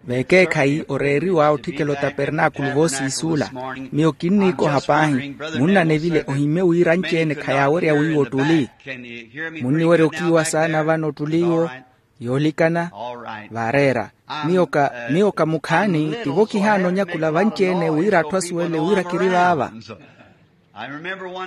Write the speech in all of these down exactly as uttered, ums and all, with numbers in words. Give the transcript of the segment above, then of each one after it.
Vekeekhayi oreeriwa otthikela otapernaakulu voosiisuula. Miyo kinniikoha paahi, munnanevile ohimmye wira anci-ene khayaawerya wiiwa ottuli. Munniwerya okiiwa saana vano ottuli iwo. Yoolikana. Vaareera. Miyo ka miyo ka mukhaani, tivo kihaana onyakula vanci-ene wira atthu asuwele wira kiri vaava.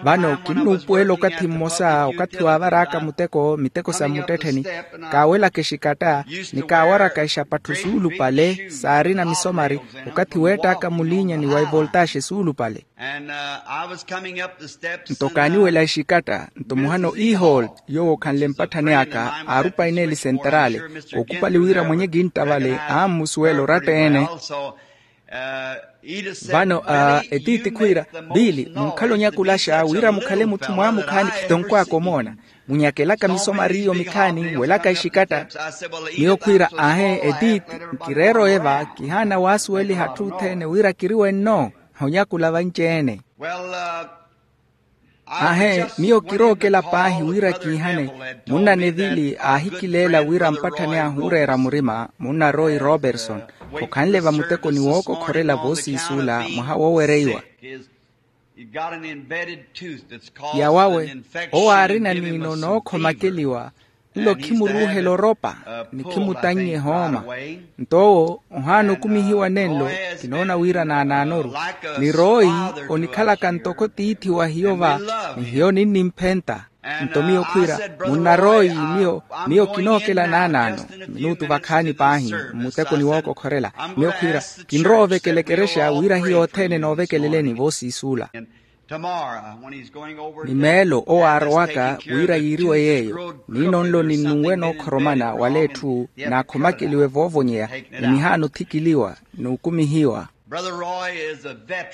Vano kinnuupuwela okathi mmosa okathi waavar'aka muteko miteko sa mmuttettheni, kaawelaka exikatta ni kaawaraka exapatthu suulupale saarina misomari, okathi weett'aka muliinyani wa evoltaaxe suulupale. Nto kaaniwela exikatta nto muhano ehall yoowo okhanle mpatthani aka aarupaini eli senteraale, ookupali wira mwenye kintta vale ammusuwela oratta-ene. Vano etiiti khwiira, biili munkhala onyakulaxa wira mukhale mutthu mwaamukhaani khitonkw'aka omoona. Munyakelaka misomari iyo mikhaani mwelaka exikatta. Miyo khwiira, aahe etiiti, nkireera oyeva kihaana waasuweliha atthu othene wira kiri wenno. Honyakula vanci-ene. Aahe miyo kirookela paahi wira kiihane. Munnanevili aahikileela wira mpatthani ahu ooreera murima munna roy roberson, okhanle vamutekoni wookokhorela voosiisuula mwaha woowereiwa. Yawawe owo aarina niino nookhomakeliwa. Nlo khimuruuhela oropa ni khimutannye ehooma. Nto owo ohaana okumihiwa nenlo. Kinoona wira naanaanoru ni royi onikhalaka ntoko tiithi wa hiyo va, ni hiyo ninnimphenta. Nto miyo khwiira, munna royi, miyo miyo kinookela naanaano minuutu vakhaani paahi mmutekoni wookokhorela. Miyo khwiira, kinrowa ovekela ekerexa wira hiyo othene noovekeleleni voosiisuula. Ni meelo owo aarowaka wira yiiriwe yeeyo niino nlo ninnunwe nookhoromana wala etthu naakhomakeliwe voovonyeya, ni nihaana othikiliwa n'ukumihiwa.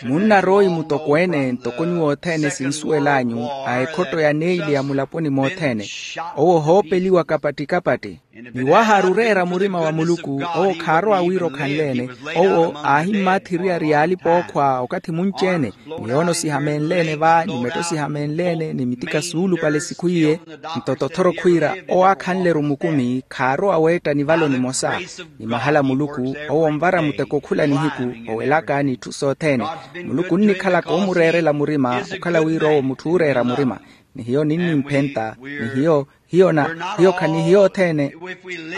Munna royi mutokweene ntoko nyuwo othene sinsuwel'anyu a ekhotto ya neili ya mulaponi mothene. Owo ohoopeliwa kapatti-kapatti. Ni waahaaru oreera murima wa muluku owo khaarowa wira okhanle-ene. Owo aahimmaathi eriyari y'alipa ookhwa okathi munci-ene, ni yoono sihamenle-ene va ni metto sihamenle-ene ni mitika suulupale sikhu iye. Nto tothoro khwiira owo aakhanle-ru mukumi khaarowa weetta nivalo nimosa. Ni mahala muluku owo onvara muteko khula nihiku owelaka n'itthu sothene. Muluku onnikhalaka omureerela murima okhala wira owo mutthu ooreera murima. Ni hiyo ninnimphenta ni hiyo hiyo na hiyo khanihiyo othene.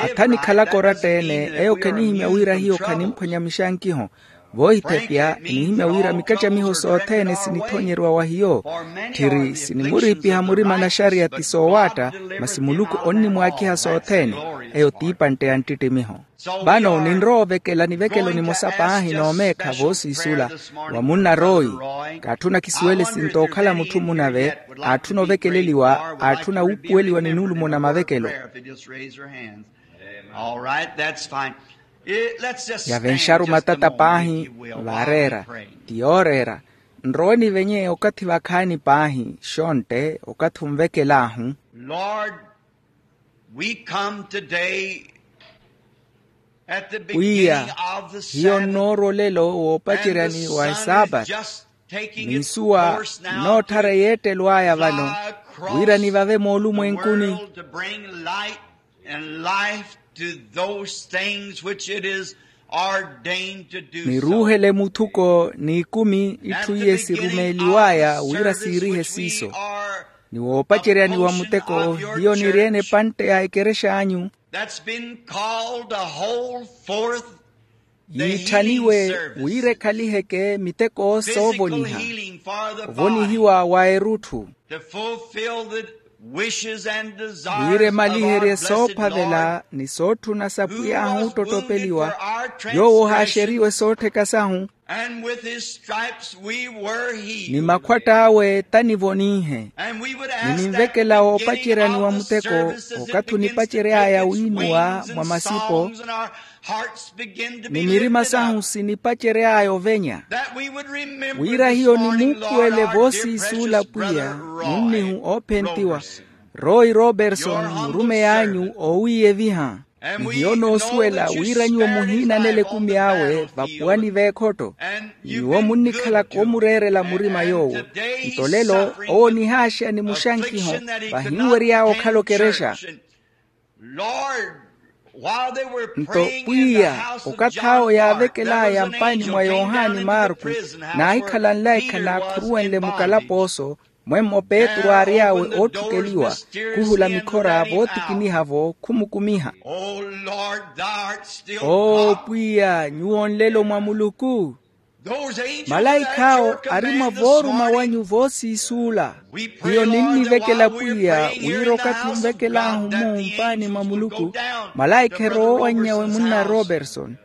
Atha nikhalaka oratta-ene eyo khanihimya wira hiyo khanimphwanya mixankiho. Voohithepya enihimya wira mikattamiho sothene sinithonyeriwa wa hiyo. Tthiri sinimuriipiha murima naxariya ti soowaatta, masi muluku onnimwaakiha sothene. Eyo t'ipantte ya nttittimiho. Vano ninrowa ovekela nivekelo nimosa paahi noomeekha voosiisula wa munna royi. Kaatthuna kisuwele sinto okhala mutthu munave aatthuna ovekeleliwa aatthuna wuupuweliwa ni nulumo na mavekelo. Yavenxaru matata paahi. Vaareera ti yooreera. Nrowe nivenye okathi vakhaani paahi xontte okathi onvekel'ahu. Lord, we come today at the beginning of the Sabbath. Hiyo nnoorwa olelo woopaceryani wa esaapati. N'isuwa nnootthara eyeettelo aya vano wira nivave moolumwenkuni. And life to those things which it is ordained to do so. Niruuhele muthuko n'ikumi itthu iye sirumeeliw'aya wira siirihe siiso. Ni woopaceryani wa muteko hiyo niri-ene epantte ya ekerex'anyu. That's been called to hold forth yiitthaniwe wira ekhaliheke miteko soovoniha. Ovonihiwa wa erutthu. Wira emaliherye soophavela ni sootthuna sa pwiy'ahu ottottopeliwa. Yoowo ohaaxeriwe soottheka sahu. Ni makhwatt'awe tanivoninhe. Ni ninvekela woopaceryani wa muteko okathi onipacery'aya wiinuwa mwa masipo. Ni mirima sahu sinipacery'aya ovenya wira hiyo nimuupuwele voosiisuula pwiya munnihu oophentiwa roy roberson murumeyi anyu oowiiyeviha. Ni hiyo noosuwela wira nyuwo muhiinanela ekumi awe vapuwani v'ekhotto. Nyuwo munnikhalaka omureerela murima yoowo. Nto lelo owo onihaaxeya ni muxankiho vahinwery'awe okhala okerexa. Nto pwiya, okathi awo yaavekel'aya mpaani mwa yohani marku, naahikhala nlaikha naakhuruwenle mukalapooso, mwemmo petru aary'awe ootthukeliwa, khuhula mikhora vootikiniha-vo khumukumiha. Oo pwiya, nyuwo nlelo mwa muluku. Malaikha awo ari mwa vooruma wanyu voosiisuula. Hiyo ninnivekela pwiya wira okathi onvekel'ahu-mu mpaani mwa muluku, malaikha erowowannyawe munna roberson,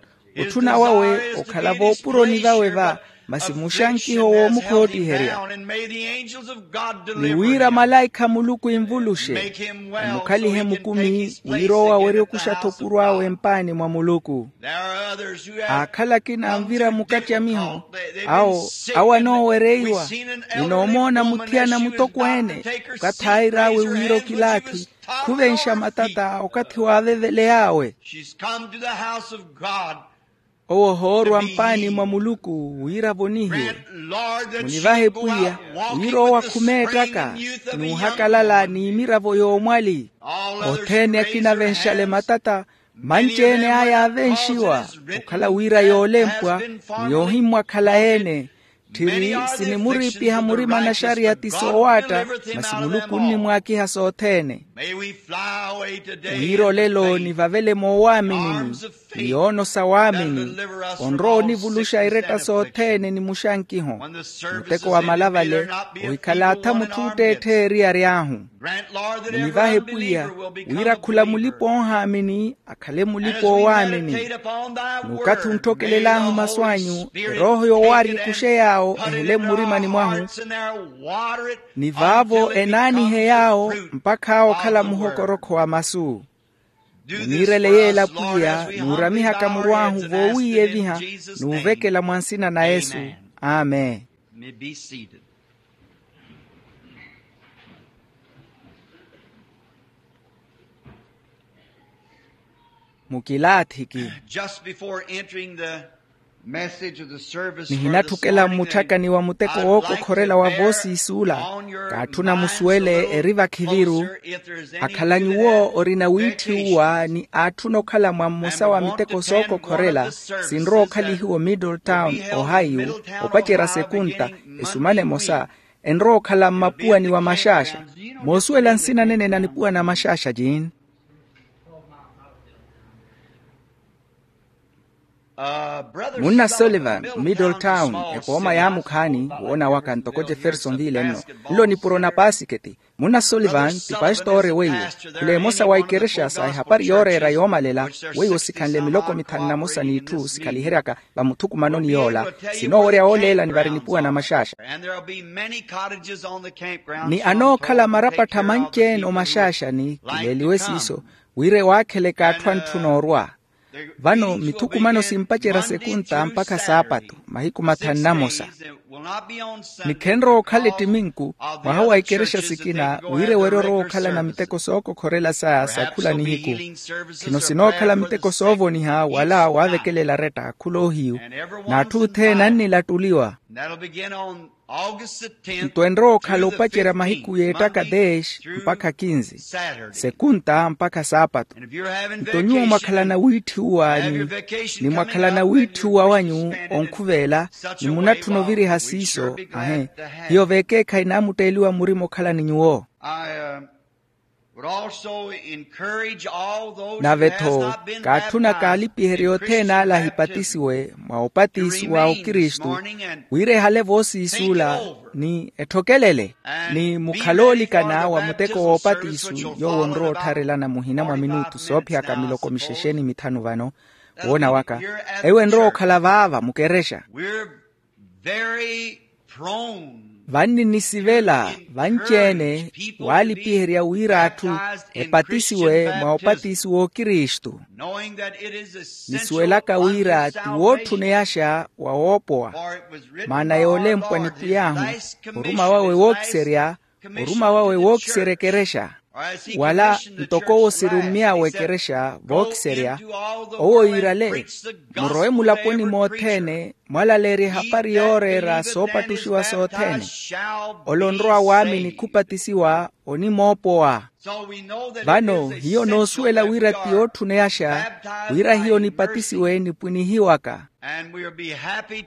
otthuna wawe okhala voopuroni vawe va, masi muxankiho woomukhootiherya. Ni wira malaikha a muluku envuluxe, emukhalihe mukumi wira owo awerye okuxa-tho opuro awe mpaani mwa muluku. Aakhala akina anvira mukatyamiho, awo awo anoowereiwa. Ninoomoona muthiyana mutokweene, okathi aair'awe wira okilaathi, khuvenxa matata okathi waaveveley'awe. Owo ohoorwa mpaani mwa muluku wira avonihiwe. Munivahe pwiya, wira owo akhume ettaka, n'uhakalala n'imiravo y'omwali. Othene akina avenxale matata, manci-ene aya aavenxiwa, okhala wira yoolempwa ni yoohimmwakhala-ene. Tthiri sinimuriipiha murima naxariya ti soowaatta, masi muluku onnimwaakiha sothene. Wira olelo nivavele moowaaminini, ni yoonosa waamini, onrowa onivuluxa eretta sothene ni muxankiho. Muteko wa malavale ohikhala atha mutthu otteettheya eriyari ahu. Munivahe pwiya, wira khula mulipa oohaamini akhale mulipa oowaamini. N'ukathi ontthokelel'ahu masu anyu, erooho yoowaarya ekuxe yaawo ehele mmurimani mwahu, ni vaavo enaanihe yaawo mpakha awo okhala muhokorokho wa masu. Muniirele yeela pwiya, n'uramihaka muru ahu voowiiyeviha n'uvekela mwa nsina na yesu. Amen. Mukilaathiki. Just before entering the message of the service for this morning, nihinatthukkela mmutthakani wa muteko wookokhorela wa voosiisuula. Kaatthuna musuwele eri vakhiviru, akhala nyuwo orina wiitthiwuwa ni aatthuna okhala mwa mmosa wa miteko sookokhorela, sinrowa okhalihiwa omiddle town, ohio, opacerya sekunta, esumana emosa, enrowa okhala mmapuwani wa maxaaxa. Moosuwela nsina nene na nipuwani a maxaaxa jin? Munna sullivan, middle town, epooma yaamukhaani. Woona waka ntoko jeffersonville nno, nlo nipuro na paasiketi. Munna sullivan ti pastoore weiwo. Khula emosa wa ikerexa sa ehapari yooreera yoomalela, weiwo sikhanle miloko mithanu na mosa n'itthu sikhaliheryaka vamuthukumanoni yoola. Sinoowerya wooleelani vari nipuwa na maxaaxa. Ni anookhala marapattha manci-ene omaxaaxani kileeliwe siiso, wira ewaakheleke atthu antthuna orwa. Vano mithukumano simpacerya sekunta mpakha saapatu mahiku mathanu na mosa. Ni khenrowa okhala ettiminku mwaha wa ikerexa sikina wira ewerye orowa okhalana miteko sookokhorela saya sa khula nihiku. Khino sinookhala miteko soovoniha wala waavekelela aretta khula ohiyu, n'atthu othene annilattuliwa. Nto enrowa okhala opacerya mahiku y'ettaka deex mpakha kinzi, sekunta mpakha saapatu. Nto nyuwo mwakhalana wiitthiwuwa anyu, ni mwakhalana wiitthiwuwa wanyu onkhuveela, ni munatthuna oviriha siiso ahe, hiyo veekeekhayi naamutteeliwa murima okhalani nyuwo. Nave-tho kaatthuna kaalipiherye othene ale ahipatisiwe mwa opatisiwa okristu, wira ehale voosiisuula ni etthokelele, ni mukhale oolikana wa muteko woopatisu yoowo onrowa ottharelana muhina mwa minutu soophiyaka miloko mixexe ni mithanu vano. Woona waka, eyo enrowa okhala vaava mukerexa. Vanninisivela vanci-ene waalipiherya wira atthu epatisiwe mwa opatisiwa okristu, nisuwelaka wira ti wootthuneyaxa wa woopowa. Maana yoolempwa ni pwiy'ahu, oruma wawe wookiserya, oruma wawe wookiserya ekerexa. Wala ntoko owo sirummy'awe ekerexa vookiserya, owo yiirale, murowe mulaponi mothene mwalaleerye ehapari yooreera soopattuxiwa sothene. Ole onrowa waamini khupatisiwa onimoopowa. Vano hiyo noosuwela wira ti yootthuneyaxa wira hiyo nipatisiwe nipwinihiwaka.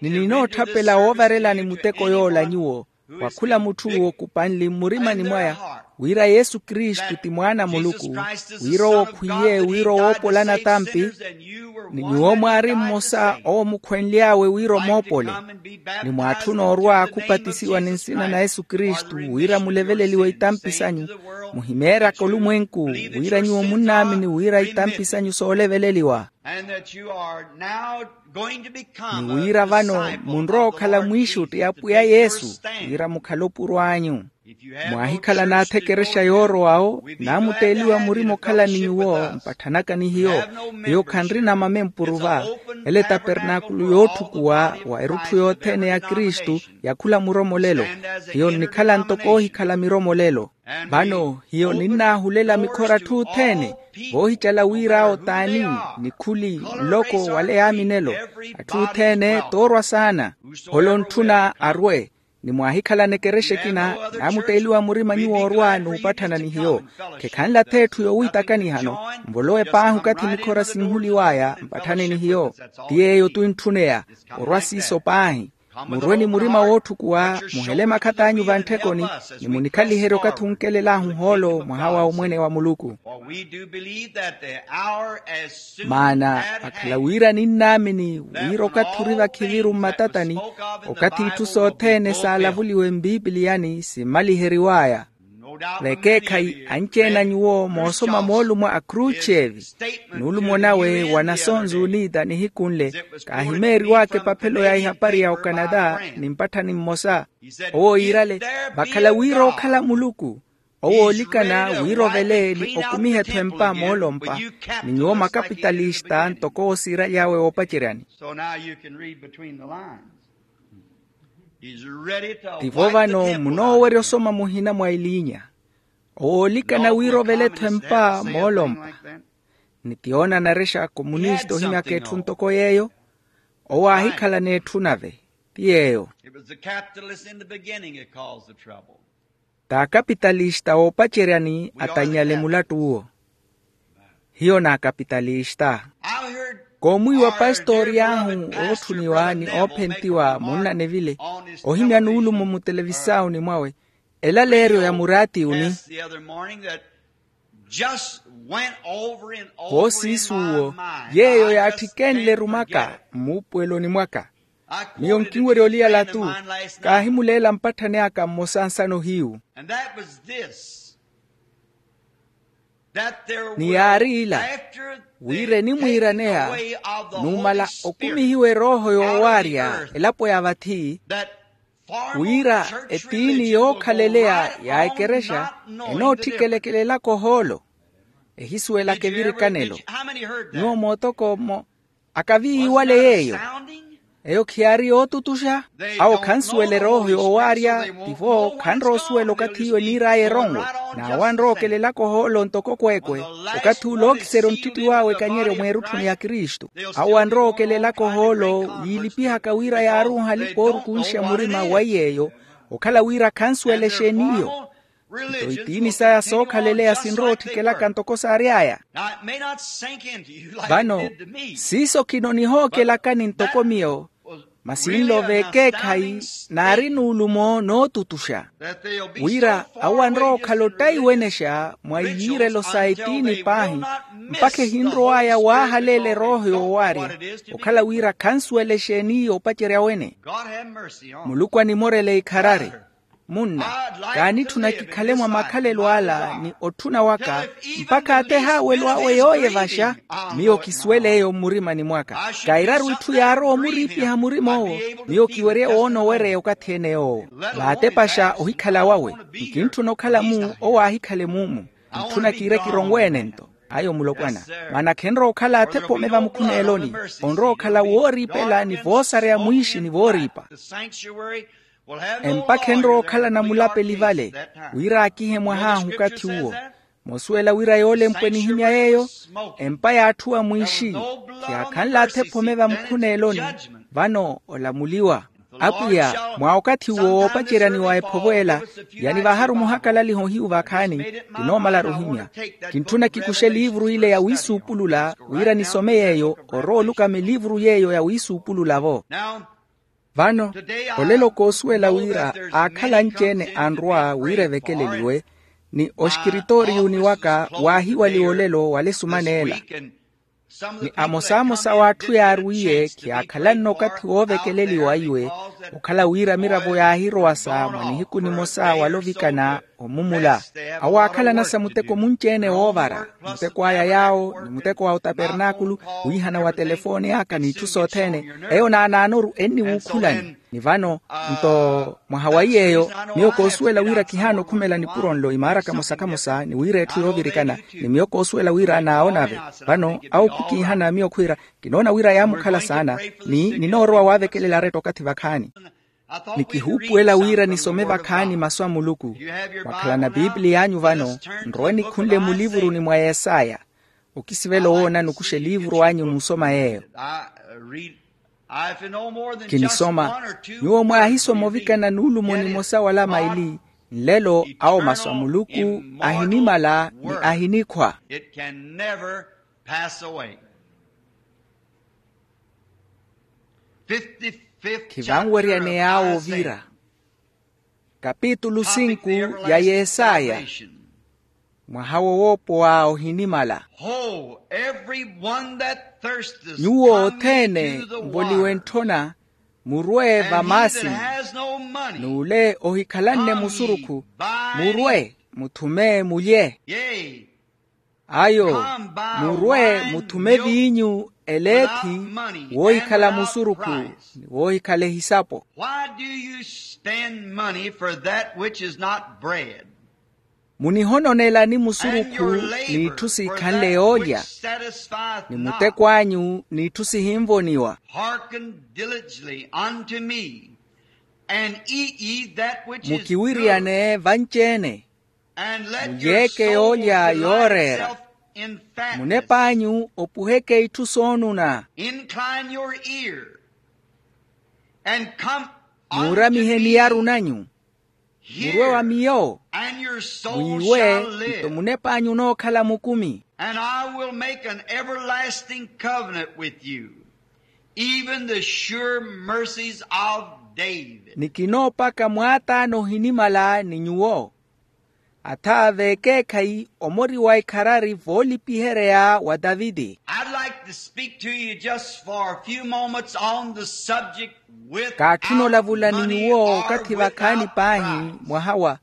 Ni ninootthapela woovarelani muteko yoola nyuwo, wa khula mutthu owo kupanli mmurimani mwaya, wira yesu kristu ti mwaana a muluku, wira owo khwiye wira owoopolana tampi, ni nyuwo mwaari mmosa owo mukhwenly'awe wira omoopole. Ni mwaatthuna orwa khupatisiwa ni nsina na yesu kristu wira muleveleliwe itampi sanyu, muhimeeryaka olumwenku, wira nyuwo munnaamini wira itampi sanyu sooleveleliwa. Ni wira vano munrowa okhala mwiixutti a pwiya yesu, wira mukhale opuro anyu. Mwaahikhala naathekerexa yoorowawo, naamutteeliwa murima okhala ni nyuwo mpatthanaka ni hiyo. Hiyo khanrina mamempuru va, ele tapernaakulu yootthukuwa wa erutthu yothene ya kristu, ya khula muromolelo. Hiyo nnikhala ntoko oohikhala miromolelo. Vano hiyo ninnaahulela mikhora atthu othene, voohicala wira awo t'ani, nikhuli, nloko wala eyaaminelo. Atthu othene t'orwa saana. Ole ontthuna arwe. Ni mwaahikhalana ekerexa ekina, naamutteeliwa murima nyuwo orwa n'upatthana ni hiyo. Khekhanle ath'etthu yowiitakani hano, nvolowe paahi okathi mikhora sinhuliw'aya mpatthane ni hiyo. Ti yeeyo t'uintthuneya. Orwa siiso paahi. Murwe ni murima wootthukuwa, muhele makhat'anyu vantthekoni, ni munikhaliherye okathi onkelel'ahu ohoolo mwaha wa omwene wa muluku. Maana vakhala wira ninnaamini wira okathi ori vakhiviru mmatatani, okathi itthu sothene saalavuliwe mpipiliyani simmaliheriw'aya. Vekeekhayi anci-ene a nyuwo moosoma moolumo a khruchevi, nuulumo nawe wa nasonsi unita nihiku nle, kaahimeeriw'aka epaphelo ya ihapari ya okanata ni mpatthani mmosa. Owo yiirale, vakhala wira ookhala muluku, owo oolikana wira ovele ni okumiha-tho empa moolompa, ni nyuwo makapitalista ntoko owo siiraly'awe woopaceryani. Tivo vano munoowerya osoma muhina mwa eliinya. Owo oolikana wira ovele-tho empa moolompa. Ni ti yoona anarexa komunista ohimyaka etthu ntoko yeeyo. Owo aahikhala n'etthu nave. Ti yeeyo. T'akapitalista woopaceryani atannyale mulattu uwo. Hiyo n'akapitalista. Koomwiiwa pastori ahu ootthuniwa ni oophentiwa munnanevile, ohimya nuulumo mutelevisauni mwawe, elaleeryo ya muraati uni. Voosiisuwo yeeyo yaatthikeenle erumaka mmuupuweloni mwaka. Miyo nkinwerya oliyala-tu. Kaahimuleela mpatthani aka mmosa nsano hiyu. Ni yaari ila, wira enimwiiraneya numala okumihiwa erooho yoowaarya elapo ya vathi, wira etiini yookhaleleya ya ekerexa enootthikelekelelaka ohoolo. Ehisuwelaka evirikanelo. Nyuwo mootoko mmo akaviiwale yeeyo. Eyo khiyaari yootutuxa. Awo khansuwela erooho yoowaarya. Tivo khanrowa osuwela okathi iyo eniir'aya eronwe. N'awo anrowa okelelaka ohoolo ntoko kweekwe. Okathi ule ookiserya onttitti w'awe ekanyeryo mweerutthuni ya kristu. Awo anrowa okelelaka ohoolo yiilipihaka wira yaaruuha alipa oorukunxa murima wa iy'eyo. Okhala wira khansuwela exeeni iyo. Nto itiini saya sookhaleleya sinrowa otthikelaka ntoko saary'aya. Vano siiso khino nihookelakani ntoko miyo, masi nlo vekeekhayi naari nuulumo nootutuxa, wira awo anrowa okhala ottaiwenexa mwa iyiirelo sa etiini paahi, mpakha ehinrow'aya waahaleela erooho yoowaarya, okhala wira khansuwela exeeni yoopacerya wene. Muluku animorele ikharari. Munna, kaanitthuna kikhale mwa makhalelo ala ni otthuna waka, mpakha ateha awelo awe yooyevaxa. Miyo kisuwele eyo mmurimani mwaka. Kairaru itthu yaarowa omuriipiha murim'owo. Miyo kiwerye woona owereya okathi-ene yoowo. Vaatepaxa ohikhala wawe. Nkintthuna okhala-mu owo aahikhale mumu. Ntthuna kiire kironwe-ene nto. Ayo mulopwana. Maana khenrowa okhala athepa omeva mukhuneeloni. Onrowa okhala wooriipela ni voosareya mwiixi ni vooriipa. Empakha enrowa okhala namulapeli vale, wira aakihe mwah'ahu okathi uwo. Moosuwela wira yoolempwe nihimya yeeyo, empa yaatthuwa mwiixi, khiyaakhanle athepho omeva mukhuneeloni. Vano olamuliwa. Apwiya, mwa okathi uwo woopaceryaniwa ephovo ela, yanivaharu muhakalaliha ohiyu vakhaani, kinoomalaru ohimya. Kintthuna kikuxe eliivuru ile ya wiisuupulula wira nisome yeeyo orowa olukama eliivuru yeeyo ya wiisuupulula-vo. Vano, olelo koosuwela wira aakhala anci-ene anrwa wira evekeleliwe, ni oxikiritooriyuni waka waahiwaliwa olelo wala esumaneela. Ni amosamosa w'atthu yaarwiiye khiyaakhalanne okathi woovekeleliwa iwe, okhala wira miravo yaahirowasa mwa nihiku nimosa wala ovikana omumula. Awo aakhalanasa muteko munci-ene woovara, muteko a yay'awo ni muteko a otapernaakulu, wiihana wa telefooni aka n'itthu sothene. Eyo naanaanoru enniwuukhulani. Ni vano, nto mwaha wa iy'eyo, miyo koosuwela wira kihaana okhumela nipuro nlo imaara kamosa-kamosa ni wira etthu yoovirikana, ni miyo koosuwela wira naawonave. Vano awo khukiihana miyo khwiira, kinoona wira yaamukhala saana, ni ninoorowa waavekelela aretta okathi vakhaani. Ni kihuupuwela wira nisome vakhaani masu a muluku. Mwakhalana pipiliya anyu vano, nrowe nikhunle mulivuruni mwa yesaya. Okisivela owoona nukuxa eliivuru anyu muusoma yeeyo. Kinisoma. Nyuwo mwaahisoma ovikana nuulumo nimosa wala maili, nlelo awo masu a muluku ahinimala ni ahinikhwa. Khivanweryaney'awo ovira. Kapitulu sinku ya yesaya. Mwaha wo woopowa ohinimala. Nyuwo othene mvoliwe ntthona, murwe vamaasini. N'ule ohikhalanne musurukhu, murwe muthume mulye. Ayo, murwe muthume viinyu eleethi, woohikhala musurukhu ni woohikhala ehisapo. Why do you spend money for that which is not bread? Munihononelani musurukhu n'itthu siikhanle yoolya, ni muteko anyu n'itthu sihinvoniwa. Hearken diligently unto me, and eat ye that which is good. Mukiwiriyane vanci-ene, mulyeeke yoolya yooreera. Munep'anyu opuheke itthu soonuna. Incline your ear, and come unto me. Muuramihe miyaru nanyu, murwe wa miyo, mwiiwe, nto munep'anyu onookhala mukumi. And I will make an everlasting covenant with you, even the sure mercies of David. Ni kinoopaka mwaataano ohinimala ni nyuwo, atha v'ekeekhayi omori wa ikharari voolipihereya wa taviti. I'd like to speak to you just for a few moments on the subject with. Kaatthuna olavula ni nyuwo okathi vakhaani paahi mwaha wa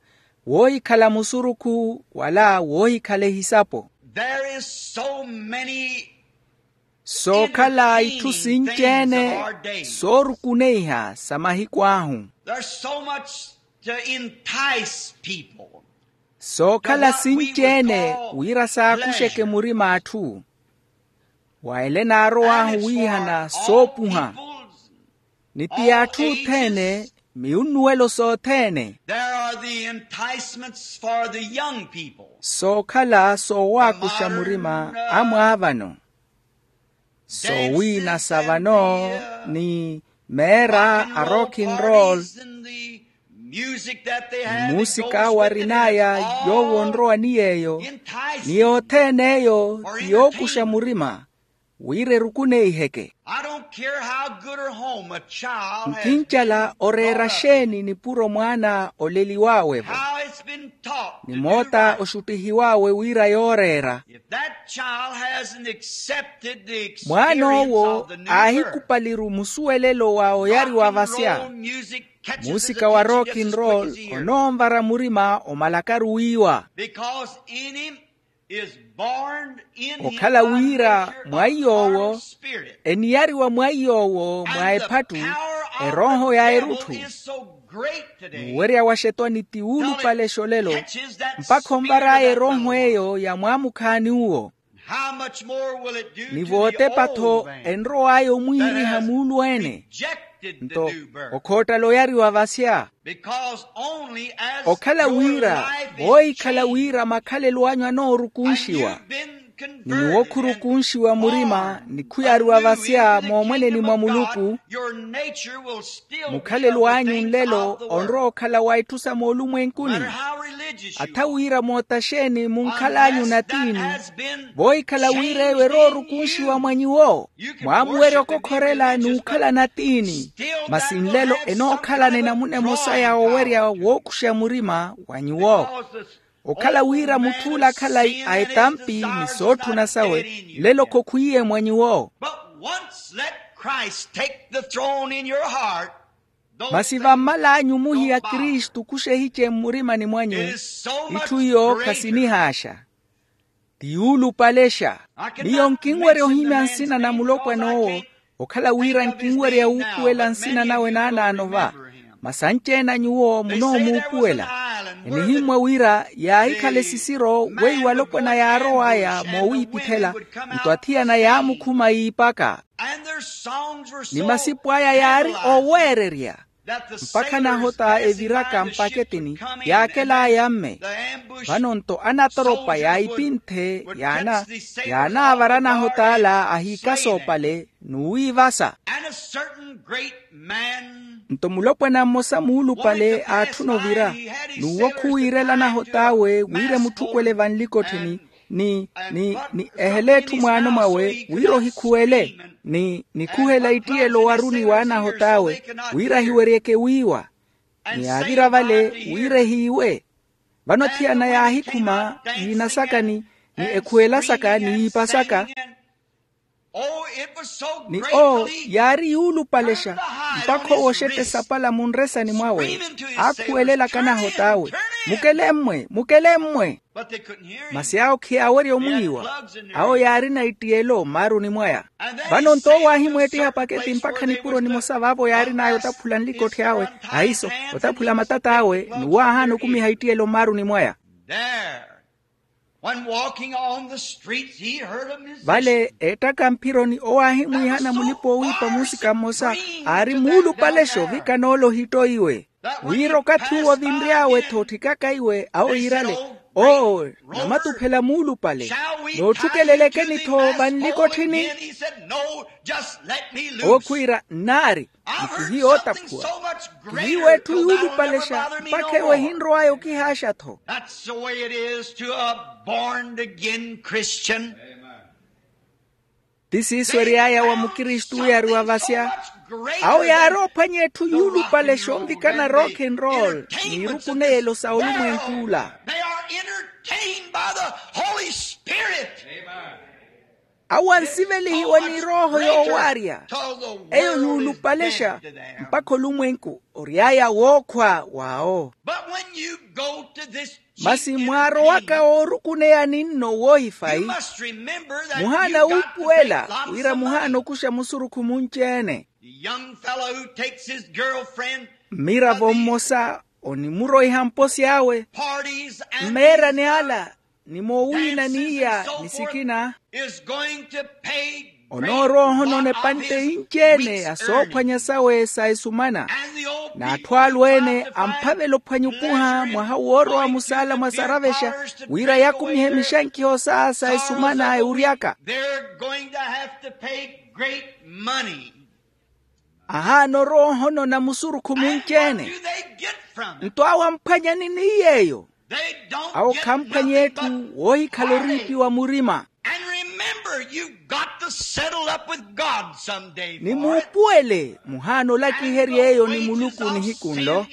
woohikhala musurukhu wala woohikhala ehisapo. There is so many. Sookhala itthu sinci-ene soorukuneiha sa mahiku ahu. There's so much to entice people. Sookhala sinci-ene wira saakuxeke murima atthu, wa ele naarow'ahu wiihana soopuha. Ni ti atthu othene, miunnuwelo sothene. There are the enticements for the young people. Sookhala soowaakuxa murima a mwaavano. Soowiina sa vano, ni meera a rock and roll, ni muusika awarin'aya yoowo onrowa ni yeeyo. Ni yothene eyo ti yookuxa murima wira erukuneiheke. Nkincala oreera xeeni nipuro mwaana oleliw'awe-vo, ni moota oxuttihiw'awe wira yooreera. Mwaana owo aahikupaliru musuwelelo wa oyariwa vasya, muusika wa rock and roll onoonvara murima omalakaru wiiwa. Okhala wira mwa iy'owo, eniyariwa mwa iy'owo mwa ephattu erooho ya erutthu. Ni uwerya wa xetwani ti wuulupale xolelo, mpakha onvar'aya erooho eyo ya mwaamukhaani uwo. Ni vootepa-tho enrow'aya omwiiriha muulu-ene. Nto okhoottala oyariwa vasya. Okhala wira voohikhala wira makhalelo anyu anoorukunxiwa, ni nyuwo khurukunxiwa murima ni khuyariwa vasya moomweneni mwa muluku, mukhalelo anyu nlelo onrowa okhala wa itthu sa moolumwenkuni. Atha wira moota xeeni munkhal'anyu natiini, voohikhala wira eyo eroorukunxiwa mwa nyuwo, mwaamuwerya okokhorela n'ukhala natiini. Masi nlelo enookhalana enamuna emosa ya owerya wookuxa murima wa nyuwo. Okhala wira mutth'ula akhala a etampi ni sootthuna sawe, nlelo khokhwiiye mwa nyuwo. But once let Christ take the throne in your heart. Masi vammal'anyu muhiya kristu khuxehice mmurimani mwanyu, itthu iyo khasinihaaxa, ti yuulupalexa. Miyo nkinwerya ohimya nsina na mulopwan'owo, okhala wira nkinwerya wuupuwela nsina nawe naanaano va. Masi anci-ene a nyuwo munoomuupuwela. Enihimmwa wira yaahikhala esisiro weiwo alopwana yaarow'aya moowiipithela, nto athiyana yaamukhuma yiipaka. Ni masipu aya yaari oweererya, mpakha anahota eviraka mpaketini yaakel'aya mme. Vano nto anatoropa yaahipinthe, yaanaavara anahot'ala ahiikasa opale n'uwiivasa. Nto mulopwana mmosa muulupale aatthuna ovira, n'uwo khuwiirela anahot'awe wira emutthukwele vanlikottheni, ni ni ni ehele etthu mwaano mwawe wira ohikhuwele, ni nikhuhela ittiyelo owaruni w'anahot'awe wira ahiweryeke wiiwa, ni aavira vale wira ehiiwe. Vano athiyana yaahikhuma yiina saka ni ekhuwela saka ni yiipa saka. Ni owo yaari yuulupalexa, mpakha owo oxetta esapala munresani mwawe, aakhuwelelaka anahot'awe, mukele mmwe, mukele mmwe. Masi awo khiyaawerya omwiiwa. Awo yaarina ittiyelo mmaaruni mwaya. Vano nto owo aahimweettiha paketi mpakha nipuro nimosa vaavo yaarin'aya otaphula nlikotthi awe, ahiiso, otaphula matat'awe, n'uwo aahaana okumiha ittiyelo mmaaruni mwaya. Vale eettaka mphironi owo aahimwiihana mulipa-oowiipa muusika mmosa, aari muulupalexa ovikana ole ohitto iwe, wira okathi uwo ovinry'awe-tho otthikaka iwe awo yiirale, oo, namatuphela muulupale, nootthukelelekeni-tho vanlikotthini. Owo khwiira nnaari, ni kihiyo ootaphuwa, kihiyo etthu yuulupalexa mpakha ewo ehinrow'aya okihaaxa-tho. That's the way it is to a born again Christian. Ti siiso ery'aya wa mukristu oyariwa vasya. Awo yaari ophwanya etthu yuulupalexa onvikana rock and roll, n'irukuneyelo sa olumwenk'ula. They are entertained by the Holy Spirit. Awo ansivelihiwa ni rooho yoowarya. Eyo yuulupalexa mpakha olumwenku ory'aya wookhwa wawo. But when you go to this, masi mwaarowaka oorukuneyani nno woohifayi, muhaana wuupuwela wira muhaana okuxa musurukhu munci-ene. Mmiravo mmosa onimuroiha mposi awe mmeerani ala, ni moowiina n'iya ni sikina, onoorowa ohonona epantte inci-ene ya soophwanya sawe sa esumana. N'atthu alweene amphavela ophwanya okuha mwaha woorowa musaala mwa saravexa, wira yakumihe mixankiho sa sa esumana ewuryaka. Ahaana orowa ohonona musurukhu munci-ene. Nto awo amphwanyani n'iy'eyo? Awo khamphwanya etthu woohikhala oriipiwa murima. Ni muupuwele muhaana olakiherya eyo ni muluku nihiku nlo,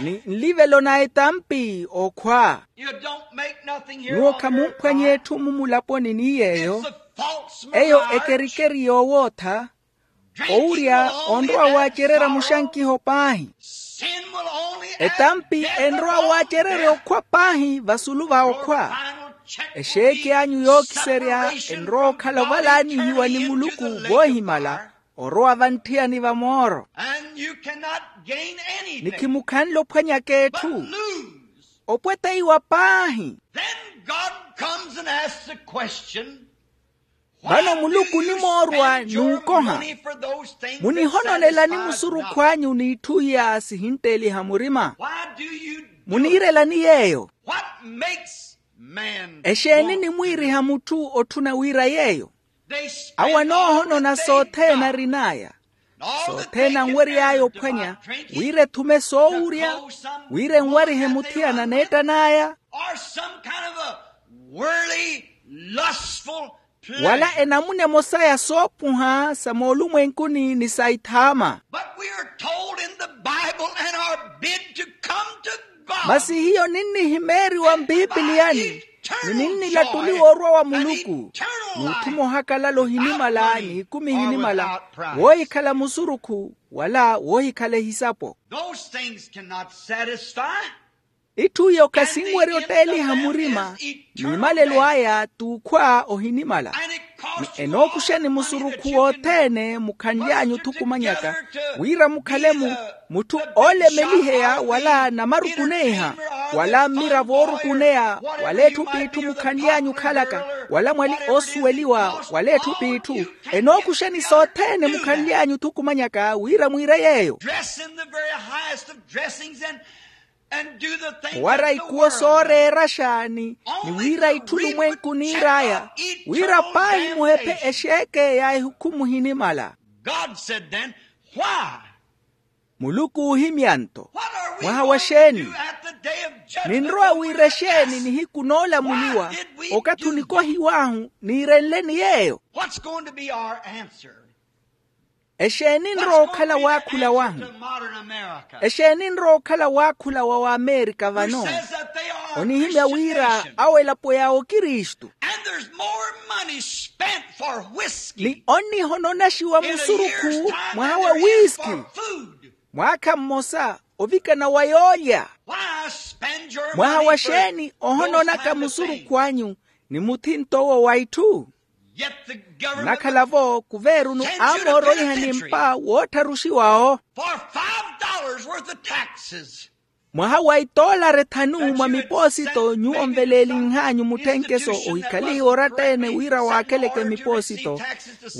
ni nlivelo na etampi okhwa. Nyuwo khamumphwanya etthu mumulaponi ni yeeyo. Eyo ekerikeri yoowootha. Owurya onrowa waacererya muxankiho paahi. Etampi enrowa waacererya okhwa paahi vasulu va okhwa. Exeeki anyu yookiserya enrowa okhala ovalaanihiwa ni muluku voohimala, orowa vantthiyani va mooro. Ni khimukhanle ophwanyaka etthu. Opweteiwa paahi. Then God comes and asks the question, Vano muluku onimoorwa n'ukoha. Munihononelani musurukhu anyu n'itthu iya sihintteliha murima? Muniirelani yeeyo? Exeeni nimwiiriha mutthu otthuna wira yeeyo? Awo anoohonona sothene arin'aya, sothene anwery'aya ophwanya, wira ethume soowurya, wira enwarihe muthiyana neettan'aya, wala enamuna emosa ya soopuha sa moolumwenkuni ni sa ithaama. Masi hiyo ninnihimeeriwa mpipiliyani, ni ninnilattuliwa orwa wa muluku, n'utthuma ohakalala ohinimala n'ikumi ehinimala, woohikhala musurukhu wala woohikhala ehisapo. Itthu iyo khasinwerya otteeliha murima, n'imalelo aya t'ukhwa ohinimala. Ni enookuxani musurukhu wothene mukhanly'anyu othukumanyaka, wira mukhale mu mutthu oolemeliheya wala namarukuneiha, wala mmiravo oorukuneya, wala etthu p'itthu mukhanly'anyu okhalaka, wala mwali oosuweliwa wala etthu p'itthu. Enookuxani sothene mukhanly'anyu othukumanyaka wira mwiire yeeyo. Owara ikuwo sooreeraxa ni wira itthu lumwenku niir'aya, wira paahi muhephe exeeke ya ehukhumu ohinimala. Muluku oohimya nto, mwaha wa xeeni? Ninrowa wira exeeni nihiku noolamuliwa? Okathi onikohiw'ahu niirenleni yeeyo? Exeeni enrowa okhala waakhula wahu? Exeeni enrowa okhala waakhula wa wamerika vano? Onihimya wira awo elapo ya okristu. Ni onnihononaxiwa musurukhu mwaha wa wiski, mwaakha mmosa ovikana wa yoolya. Mwaha wa xeeni ohononaka musurukhu anyu ni muthinto owo wa itthu? Nnakhala-vo kuveerunu amooroiha ni mpa woottharuxiwa-wo. Mwaha wa itoolari ethanu mwa mipoosito nyuwo onveleelinh'anyu mutthenkeso ohikhalihiwa oratta-ene wira waakheleke mipoosito,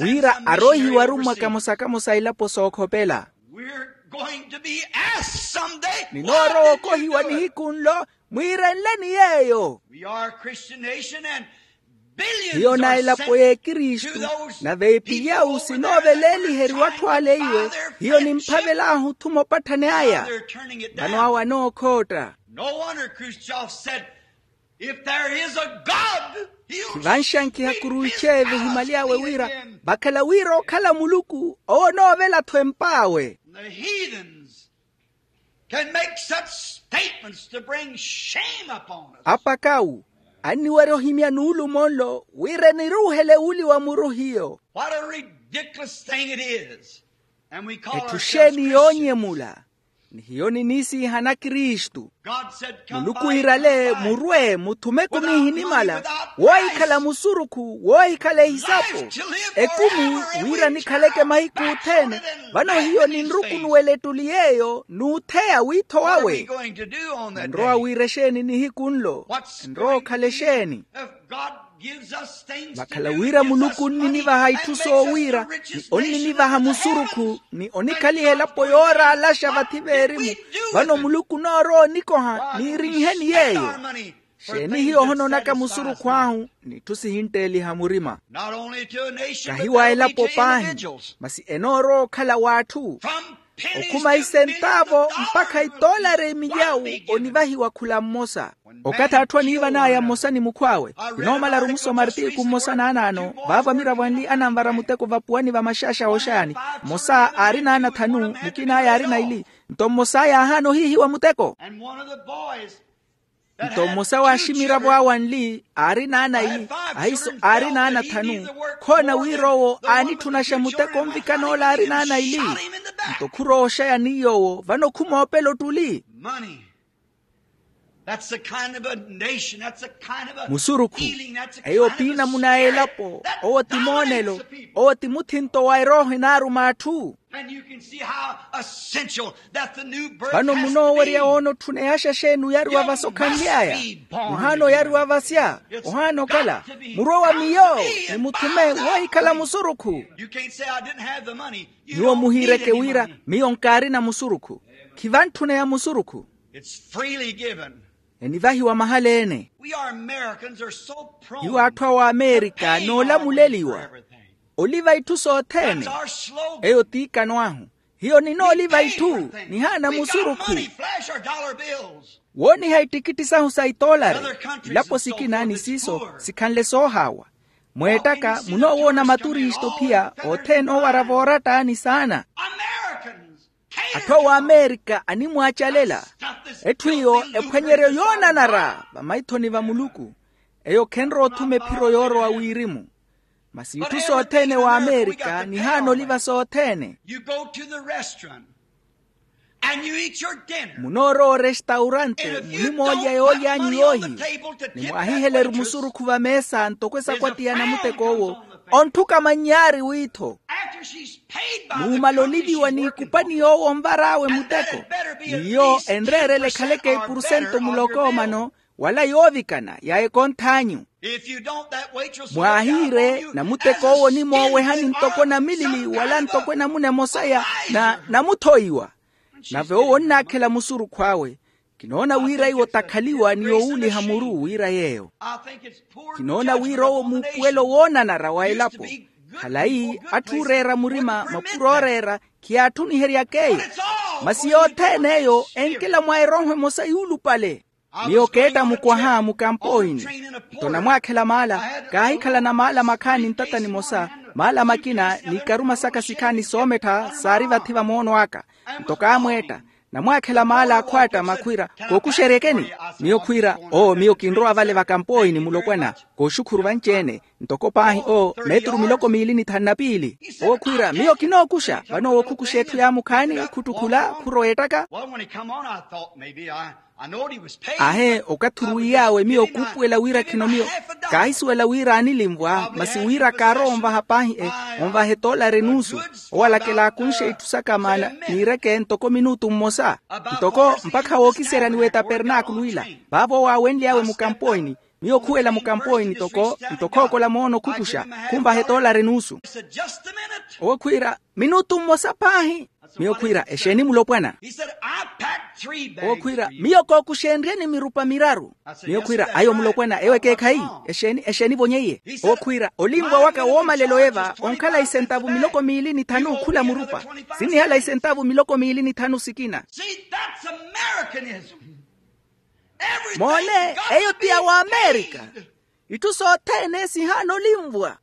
wira aroihiwaru mwa kamosa-kamosa elapo sookhopela. Ninoorowa okohiwa nihiku nlo, mwiirenleni yeeyo. Hiyo na elapo y'ekristu, nave epiyau sinooveleeliheriwa atthu ale iwe. Hiyo nimphavel'ahu othuma opatthani aya. Vano awo anookhootta. Khivanxankiha kuruixe vihimali awe wira vakhala wira okhala muluku owo onoovela-tho emp'awe. Apakawu anniwerya ohimya nuulumo nlo wira eniruuhele wuli wa muru hiyo. Etthu xeeni yoonyemula? Ni hiyo niniisiihana kristu. Muluku iirale murwe muthume ekumi ehinimala, woohikhala musurukhu woohikhala ehisapo. Ekumi wira nikhaleke mahiku othene. Vano hiyo ninrukunuwela ettuli yeeyo n'utheya wiitho wawe. Ninrowa wira exeeni nihiku nlo? Enrowa okhala exeeni? Vakhala wira muluku onninivaha itthu soowiira, ni onninivaha musurukhu, ni onikhaliha elapo yooraalaxa vathi veerimu. Vano muluku onoorowa onikoha niirinheni yeeyo. Xeeni hiyo ohononaka musurukhu ahu n'itthu sihintteeliha murima? Kahi wa elapo paahi, masi enoorowa okhala w'atthu. Okhuma isentaavo mpakha itoolari emilyawu onivahiwa khula mmosa. Okathi atthu aniivan'aya mmosa ni mukhw'awe. Kinoomala arumusoma artiku mmosa n'anaano vaavo amiravo anli ananvara muteko vapuwani va maxaaxa ooxayani. Mmosa aari n'ana thanu, mukin'aya aari naili. Nto mmosa yaahaana ohiihiwa muteko. Nto mmosa w'aximiravo awe anli aari n'ana ili, ahiiso aari n'ana thanu. Khoona wira owo aanitthuna xa muteko onvikana ola aari n'ana ili. Nto khurowa oxaya ni yoowo vano khumoopela ottuli. Musurukhu. Eyo ti namuna a elapo. Owo ti moonelo. Owo ti muthinto wa erooho enaaruma atthu. Vano munoowerya woona otthuneya axaxeeni oyariwa vasa okhanly'aya. Muhaana oyariwa vasya. Ohaana okhala. Murwe wa miyo. Ni muthume woohikhala musurukhu. Nyuwo muhiireke wira miyo nkaarina musurukhu. Khivantthuneya musurukhu. Enivahiwa mahala-ene. Hiyo atthu a w'amerika noolamuleliwa. Oliva itthu sothene. Eyo t'ikano ahu. Hiyo ninooliva itthu. Nihaana musurukhu. Wooniha ittikitti sahu sa itoolari. Ilapo sikina ni siiso sikhanle soohaawa. Mweettaka munoowoona maturistu ophiya othene oowara voorattaani saana. Atthu a w'amerika animwaacalela. Etthu iyo ephwanyeryo yoonanara vamaithoni va muluku. Eyo khenrowa othuma ephiro yoorowa wirimu. Masi itthu sothene w'amerika nihaana oliva sothene. Munoorowa orestaurante munimoolya yooly'anyu yoohiwa. Ni mwaahiheleru musurukhu vameesa ntoko esakwati ya namuteko owo. Ontthuka mannyaari wiitho. Muumala oliviwa n'ikupani yoowo onvar'awe muteko. N'iyo enreerela ekhaleke epurusento muloko omano. Wala yoovikana ya ekonth'anyu. Mwaahiire namuteko owo onimoowehani ntoko namilili wala ntoko enamuna emosa ya namuthoiwa. Nave owo onnaakhela musurukhu awe. Kinoona wira iwo takhaliwa ni yowuuliha muru wira yeeyo. Kinoona wira owo muupuwelo woonanara wa elapo. Khalayi atthu ooreera murima mapuro ooreera. Khiyaatthuniheryak'eyo. Masi yothene eyo enkela mwa erooho emosa yuulupale. Miyo keetta mukwaha mukampoini. Nto namwaakhela maala. Kaahikhalana maala makhaani ntata nimosa. Maala makina n'ikaruma saka sikhaani soomettha saari vathi va moono aka. Nto kaamweetta. Namwaakhela maala akhwaatta makhwiira. Kookuxeryekeni? Miyo khwiira oo miyo kinrowa vale vakampoini mulopwana. Kooxukhuru vanci-ene. Ntoko paahi oo meeturu miloko miili ni thanu na piili. Owo khwiira miyo kinookuxa vano owo khukuxa etthu yaamukhaani. Khuttukhula khurowa ettaka. Ahe okathi oruwiy'awe miyo kuupuwela wira khino miyo kaahisuwela wira aanilinvwa masi wira kaarowa onvaha paahi e onvaha etoolari enuusu. Owo alakela akunxe itthu saka maana niireke ntoko minutu mmosa. Ntoko mpakha wookiseryani w'etapernaakulu ila vaavo owo aawenly'awe mukampoini. Miyo khuwela mukampoini ntoko ntoko okola moono khukuxa khunvaha etoolari enuusu. Owo khwiira minutu mmosa paahi. Miyo khwiira exeeni mulopwana? Owo khwiira miyo kookuxenryeni mirupa miraru. Miyo khwiira ayo mulopwana ewo ekeekhayi. Exeeni exeeni vonye iye? Owo khwiira olinvwa waka woomalela oyeva onkhala isentavu miloko miili ni thanu khula murupa. Sinnihala isentavu miloko miili ni thanu sikina. Moone eyo ti ya w'amerika. Itthu sothene sihaana olinvwa.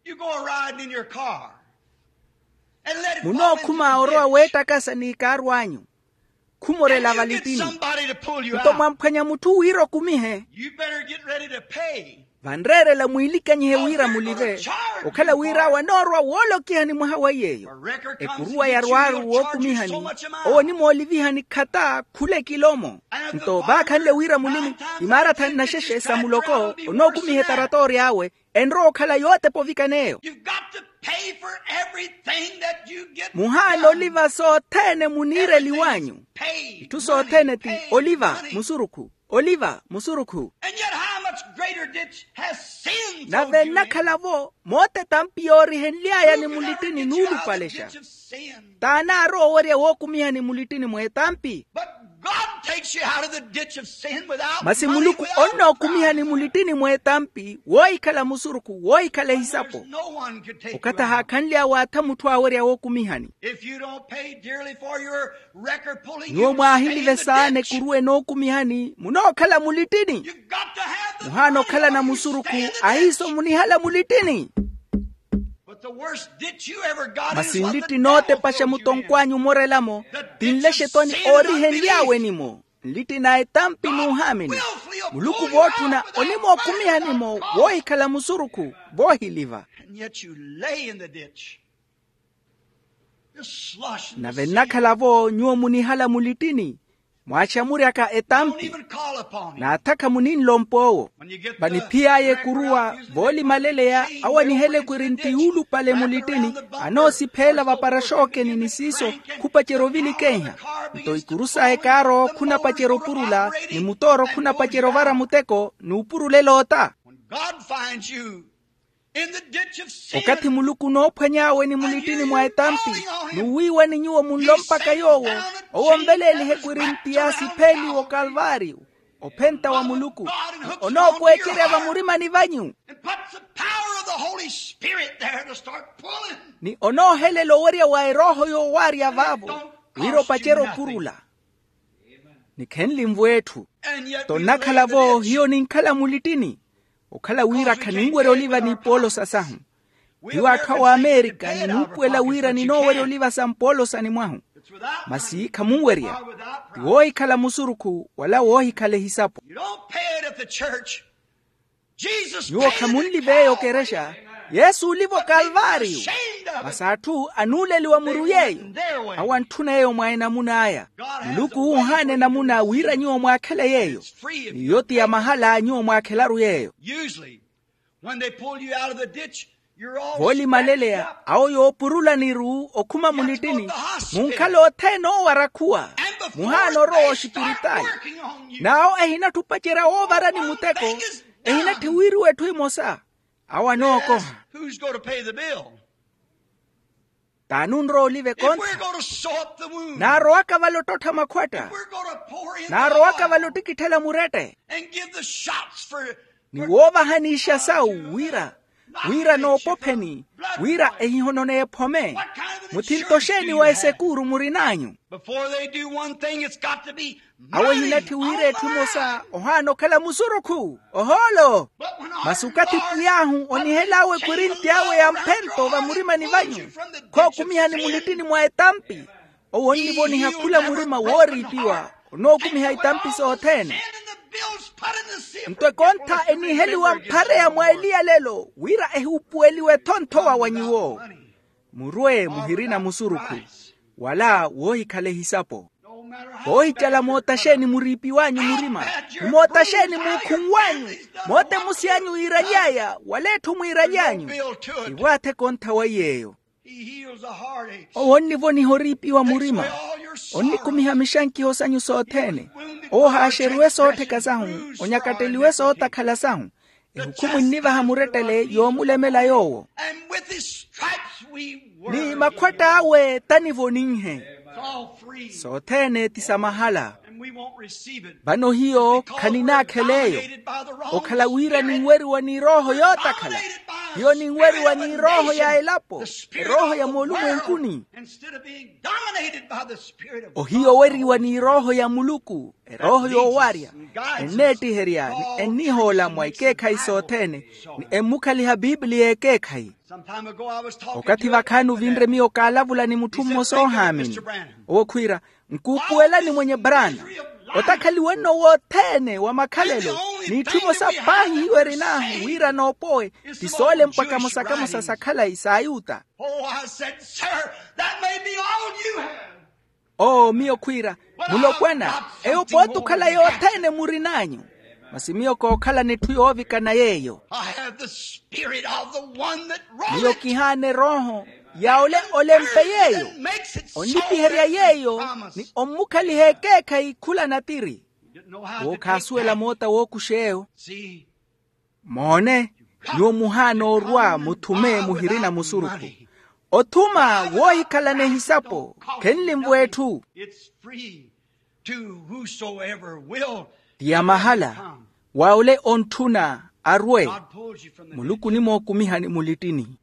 Munookhuma orowa weettakasa n'ikaaru anyu. Khumorela valittini. Nto mwamphwanya mutthu wira okumihe. Vanreerela mwiilikanyihe wira mulive. Okhala wira awe anoorowa woolokihani mwaha wa iy'eyo. Ekuruwa yarwaaru wookumihani owo onimoolivihani khata khula ekilomo. Nto vaakhanle wira mulimi imaarathani naxexe sa muloko onookumiha etaratoori awe. Enrowa okhala yootepa ovikan'eyo. Muhaana oliva sothene muniireliw'anyu. Itthu sothene ti oliva musurukhu. Oliva musurukhu. Nave nnakhala-vo moote etampi yoorihenly'aya ni mulittini nuulupalexa. T'anaarowa owerya wookumihani mulittini mw'etampi. Masi muluku onnookumihani mulittini mw'etampi woohikhala musurukhu woohikhala ehisapo. Okathi ahaakhanly'awe atha mutthu aawerya wookumihani. Nyuwo mwaahilive saana ekuruwa enookumihani munookhala mulittini. Muhaana okhalana musurukhu ahiiso munihala mulittini. Masi nlitti nootepaxa mutonkw'anyu omorela-mo ti nlexetwani oorihenly'awe-ni-mo. Nlitti na etampi n'uhaamini. Muluku vootthuna onimookumiha-ni-mo woohikhala musurukhu voohiliva. Nave nnakhala-vo nyuwo munihala mulittini mwaaxamuryaka etampi. Naathakha muninlompa owo. Vaniphiy'aya ekuruwa, voolimaleleya awo anihela ekwirinti yuulupale mulittini, anoosipheela vaparaxookeni ni siiso, khupacerya ovilikeiha. Nto ikuru saya ekaarowo khunapacerya opurula, ni mutooro khunapacerya ovara muteko n'upurulela ota. Okathi muluku onoophwany'awe ni mulittini mwa etampi, n'uwiiwani nyuwo munlompaka yoowo, owo onveleeliha ekwirinti yaasipheeliwa okalvaariyo, ophenta wa muluku, onookwecerya vamurimani vanyu. Ni onoohelela owerya wa erooho yoowarya vaavo, wira opacerye opurula. Ni khenlimvo etthu. Tonnakhala-vo hiyo ninkhala mulittini, okhala wira khaninwerya oliva n'ipoolosa sahu. Hiyo atthu a wamerika ninuupuwela wira ninoowerya oliva sa mpoolosani mwahu. Masi khamunwerya. Ti woohikhala musurukhu wala woohikhala ehisapo. Nyuwo khamunliveeya okerexa. Yesu oliva okalvaariyo. Masi atthu anuuleliwa muru yeeyo. Awo antthuna yeeyo mwa enamuna aya. Muluku unhaana enamuna wira nyuwo mwaakhele yeeyo. N'iyo ti ya mahala nyuwo mwaakhelaru yeeyo. Voolimaleleya awo yoopurulaniru okhuma munittini, munkhala othene oowara khuwa. Muhaana orowa oxipiritaali. N'awo ehinatthi opacerya woovarani muteko. Ehinatthi wiiriwa etthu emosa. Awo anookoha. T'ani onrowa oliva ekontha? Naarowaka vale ottottha makhwatta. Naarowaka vale ottikitthela murette. Ni woovahanixa sawu wira, wira noopopheni, wira ehihononeya ephome. Muthinto xeeni wa esekuuru murin'anyu? Awo ehinatthi wira etthu emosa ohaana okhala musurukhu ohoolo. Masi okathi pwiy'ahu onihel'awe ekwirinti awe ya mphento vamurimani vanyu, khookumihani mulittini mwa etampi. Owo onnivoniha khula murima wooriipiwa, onookumiha itampi sothene. Nto ekontha eniheliwa mphareya mwa eliyalelo wira ehuupuweliwe ethonthowa wa nyuwo. Murwe muhirina musurukhu, wala woohikhala ehisapo. Voohicala moota xeeni muriipiw'anyu murima, ni moota xeeni muukhunw'anyu, moota emusi anyu yiiraly'aya wala etthu mwiiraly'anyu. Ivwaathe ekontha wa iy'eyo. Owo onnivoniha oriipiwa murima. Onnikumiha mixankiho sanyu sothene. Owo ohaaxeriwe soottheka sahu, onyakatteliwe sootakhala sahu. Ehukhumu ennivaha murettele yoomulemela yoowo. Ni makhwatt'awe tanivoninhe. Sothene ti sa mahala. Vano hiyo khaninaakhela eyo. Okhala wira ninweriwa n'irooho yootakhala. Hiyo ninweriwa n'irooho ya elapo, erooho ya moolumwenkuni. Ohiyo oweriwa n'irooho ya muluku, erooho yoowarya, enneettiherya ni ennihoola mwa ikeekhayi sothene, ni emmukhaliha piipiliya ekeekhayi. Okathi vakhaani ovinre miyo kaalavula ni mutthu mmosa oohaamini. Owo khwiira, nkuupuwelani mwenye brana. Otakhaliwe nno wothene wa makhalelo, n'itthu emosa paahi hiyo erin'ahu wira noopowe, ti soolempwa kamosa kamosa sa khalayi sa ayuta. Oo miyo khwiira, mulopwana, eyo pooti okhala yothene murin'anyu. Masi miyo kookhalana etthu yoovikana yeeyo. Miyo kihaana erooho ya ole olempe yeeyo, onnipiherya yeeyo, ni ommukhaliha ekeekhayi khula natiri. Wo khaasuwela moota wookuxa eyo. Moone, nyuwo muhaana orwa muthume muhirina musurukhu. Othuma woohikhalana ehisapo khenlimvo etthu. Ti ya mahala wa ole ontthuna arwe. Muluku onimookumihani mulittini.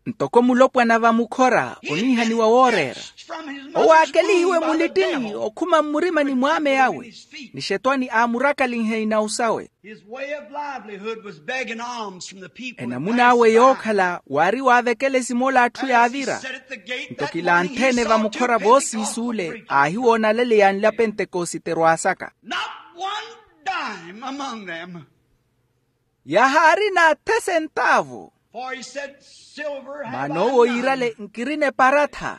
Ntoko mulopwana va mukhora oniihaniwa wooreera, owo aakelihiwe mulittini okhuma mmurimani mw'ame awe, ni xetwani aamurakalihe inawu sawe. Enamun'awe yookhala waari waavekelesi moola atthu yaavira. Nto kilanthene va mukhora voosiis'ule aahiwoona alaleya a nlya pentekosite erwaasaka. Yahaari n'athe sentaavu. Maana owo yiirale nkirina eparatha.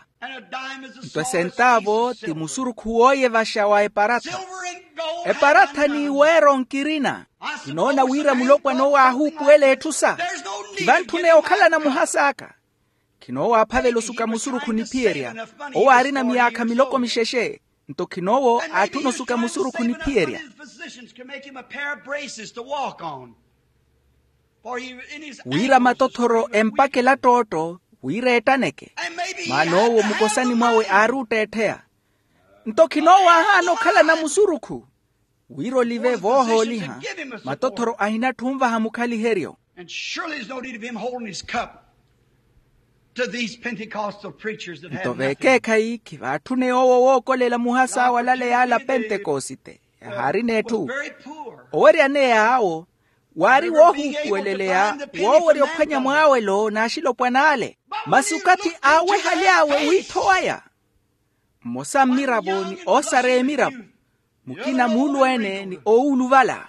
Nto esentaavo ti musurukhu wooyevaxa wa eparatha. Eparatha n'iweero nkirina. Kinoona wira mulopwana owo aahuupuwela etthu sa. Khivantthune okhalana muhas'aka. Khinoowo aaphavela osuka musurukhu niphiyerya. Owo aarina miyaakha miloko mixexe. Nto khinoowo aatthuna osuka musurukhu niphiyerya. Wira matothoro empakela ttootto wira ettaneke. Maana owo mukosani mwawe aari otteettheya. Nto khinoowo aahaana okhalana musurukhu. Wira olive voohooliha. Matothoro ahinatthi onvaha mukhaliheryo. And surely there's no need of him holding his cup to these Pentecostal preachers that have nothing. Nto vekeekhayi khivaatthuneya owo wookolela muhas'awe alaleya ala pentekosite yahaarina etthu. Oweryaneya awo waari woohuupuweleleya woowerya ophwanya mwaawelo n'axilopwan'ale. Masi okathi aawehaly'awe wiitho waya, mmosa mmiravo ni oosareya emiravo, mukina muulu-ene ni owuuluvala.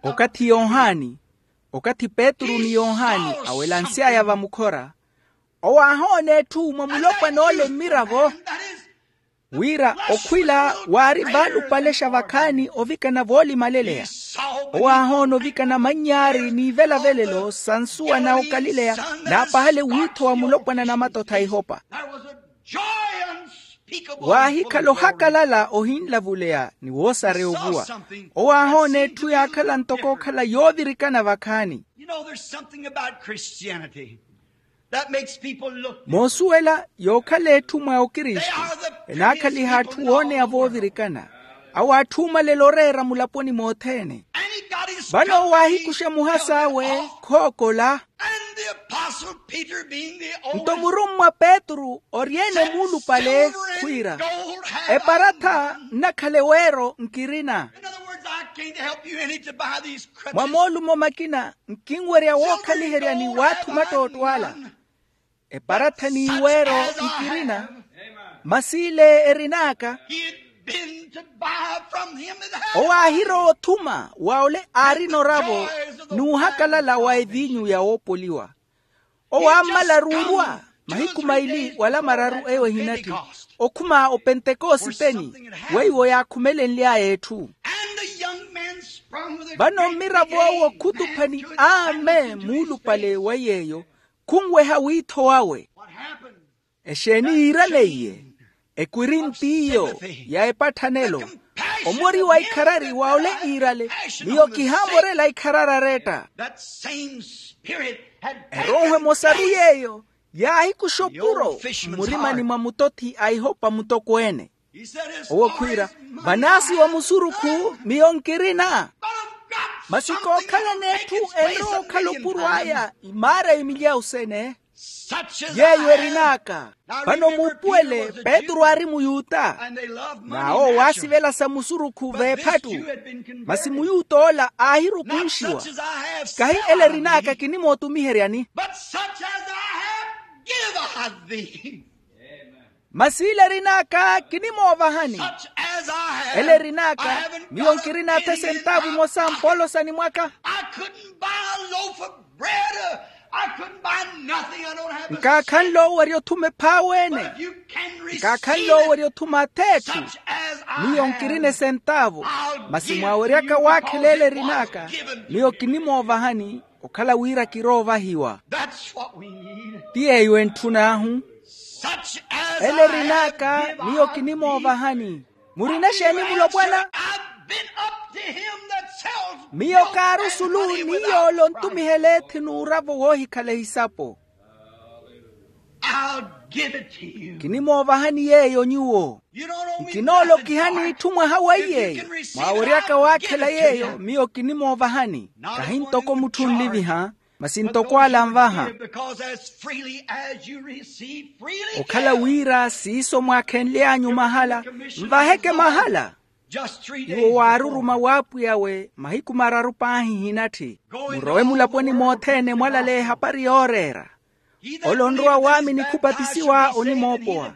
Okathi yohani, okathi petru ni yohani awelansy'aya vamukhora, owo aahoona etthu mwa mulopwan'ole mmiravo, wira okhwila waari vaalupalexa vakhaani ovikana voolimaleleya. Owo aahoona ovikana mannyaari n'ivelavelelo sa nsuwa na okalileya, n'apahale wiitho wa mulopwana na matotha a ihopa. Waahikhala ohakalala ohinlavuleya ni woosareya ovuwa. Owo aahoona etthu yaakhala ntoko okhala yoovirikana vakhaani. Moosuwela yookhala etthu mwa okristu, enaakhaliha atthu wooneya voovirikana. Awo atthuumalela oreera mulaponi mothene. Vano owo aahikuxa muhas'awe khookola. Nto murummwa petru ori-ene muulupale khwiira, eparatha nnakhala eweero nkirina. Mwa moolumo makina nkinwerya wookhaliheryani w'atthu mattootto ala. Eparatha n'iweero nkirina. Masi ile erin'aka. Owo aahirowa othuma wa ole aarina oravo n'uhakalala wa eviinyu ya woopoliwa. Owo aammala ruurwa mahiku maili wala mararu eyo ehinatthi okhuma opentekositeni weiwo yaakhumelenly'aya etthu. Vano mmirav'owo khutuphani aame muulupale wa yeeyo khunweha wiitho wawe. Exeeni yiiraneiye? Ekwirinti iyo ya epatthanelo, omori wa ikharari wa ole iirale, miyo kihaamorela ikharari aretta. Erooho emosaru yeeyo yaahikuxa opuro mmurimani mwa mutothi a ihopa mutokweene. Owo khwiira, vanaasiwa musurukhu miyo nkirina. Masi kookhalana etthu enrowa okhala opuro aya imaara imilyawu sene. Yeeyo erin'aka. Vano muupuwele petru aari muyuta, n'awo waasivela sa musurukhu v'ephattu. Masi muyuta ola aahirukunxiwa. Kahi ele erin'aka kinimootumiheryani. Masi ile erin'aka kinimoovahani. Ele erin'aka miyo nkirina-tho esentaavu emosa mpoolosani mwaka. Nkaakhanle owerya othuma ephaawe-ene. Nkaakhanle owerya othuma ath'etthu. Miyo nkirina esentaavu. Masi mwaaweryaka waakhela ele erin'aka, miyo kinimoovahani okhala wira kiroovahiwa. Ti yeeyo entthun'ahu. Ele erin'aka miyo kinimoovahani. Murina exeeni mulopwana? Miyo kaari osulu ni yoole ontumihela ethi n'uravo woohikhala ehisapo. Kinimoovahani yeeyo nyuwo. Nkinoolokiha n'itthu mwaha weiyeeyo mwaaweryaka waakhela yeeyo miyo kinimoovahani. Kahi ntoko mutthu onliviha, masi ntoko ala anvaha. Okhala wira siiso mwaakhenly'anyu mahala, nvaheke mahala. Iwo waaruruma w'apwiy'awe mahiku mararu paahi hinatthi. Murowe mulaponi mothene mwalaleya ehapari yooreera. Ole onrowa waamini khupatisiwa onimoopowa.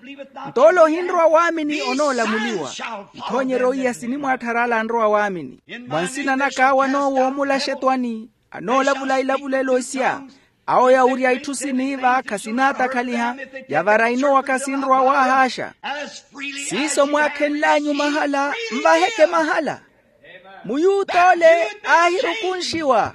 Nto ole ohinrowa waamini onoolamuliwa. Ithoonyeryo iya sinimwaatthara ala anrowa waamini. Mwa nsina naka awo anoowoomula axetwani, anoolavula ilavulelo isya. Awo yawurya itthu siniiva khasinaattakhaliha, yavara inowaka sinrowa waahaaxa. Siiso mwaakhenl'anyu mahala, nvaheke mahala. Muyuta ole aahirukunxiwa.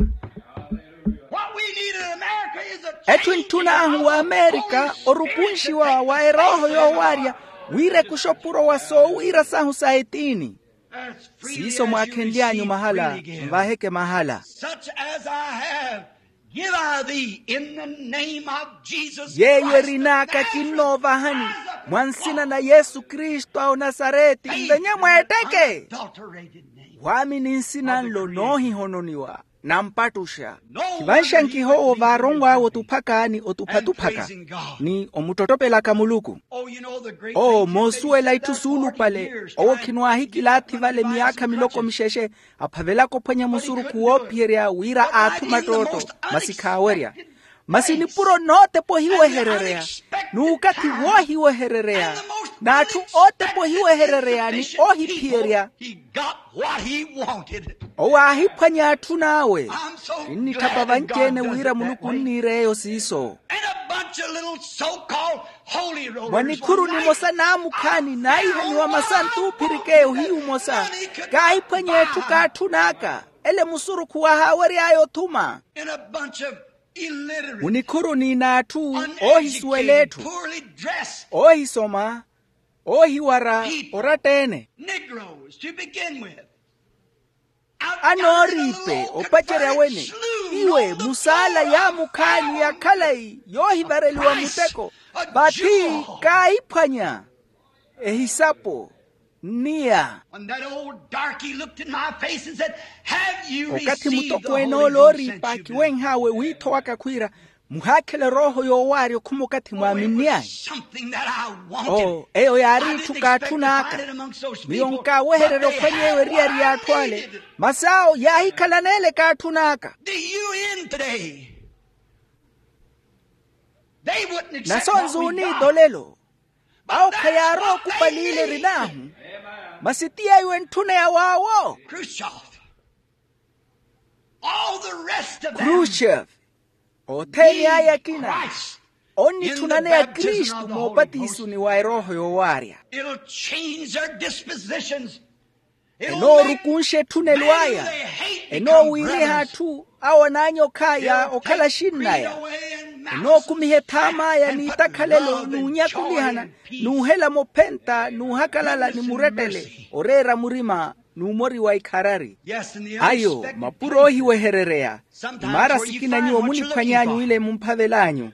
Etthu entthun'ahu w'amerika orukunxiwa wa erooho yoowaarya, wira ekuxopuro wa soowiira sahu sa etiini. Siiso mwaakhenly'anyu mahala, nvaheke mahala. Such as I have, give I thee in the name of Jesus Christ. Yeeyo erin'aka kinnoovahani, mwa nsina na yesu kristu a onasareti, nvenye mweetteke. Waamini nsina nlo noohihononiwa, nampattuxa. Khivanxa nkihoowo vaaronw'awe otuphaka ni otupha-tuphaka, ni omuttottopelaka muluku. Oo moosuwela itthu suulupale, owo khinwaahikilaathi vale myaakha miloko mixexe, aphavelaka ophwanya musurukhu woophiyerya wira aathuma ttootto, masi khaawerya. Masi nipuro nootepa ohiweherereya, n'ukathi woohiweherereya, n'atthu ootepa ohiweherereya ni oohiphiyerya. Owo aahiphwanya atthun'awe. Kinnitthapa vanci-ene wira muluku onniira eyo siiso. Mwa nikhuru nimosa naamukhaani naahihaniwa masantu oophirikeya ohiyu omosa, kaahiphwanya etthu k'atthun'aka, ele musurukhu wahaawery'aya othuma. Munikhuruni n'atthu oohisuwela etthu, oohisoma, oohiwara oratta-ene. Anooriipe opacerya wene, iwe musaala yaamukhaani ya khalayi yoohivareliwa muteko, vathi kaahiphwanya ehisapo nniya. When that old darky looked in my face and said, "Have you received the Holy Ghost since you've been?" Okathi mutokweene ole ooriipa akiwenh'awe wiitho waka khwiira, muhaakhela erooho yoowaarya okhuma okathi mwaaminny'anyu. Oh, eyo yaari itthu kaatthun'aka. Miyo nkaawehererya ophwanya eyo eriyari y'atthu ale, masi awo yaahikhalana ele kaatthun'aka. Nasonzuni tolelo. Awo khayaarowa okupaliile erin'ahu, masi ti yeeyo entthuneya waawo. Khrushchev, othene aya akina onnitthunane ya kristu moopatisuni wa erooho yoowaarya. Enoorukunxa etthunelo aya. Enoowiiriha atthu awo anaanyokh'aya okhala axinn'aya. Enookumiha ethaam'aya n'itakhalelo n'unyakulihana, n'uhelama ophenta n'uhakalala ni murettele oreera murima n'umoriwa ikharari. Ayo mapuro oohiweherereya. Imaara sikina nyuwo muniphwany'anyu wile mumphavel'anyu.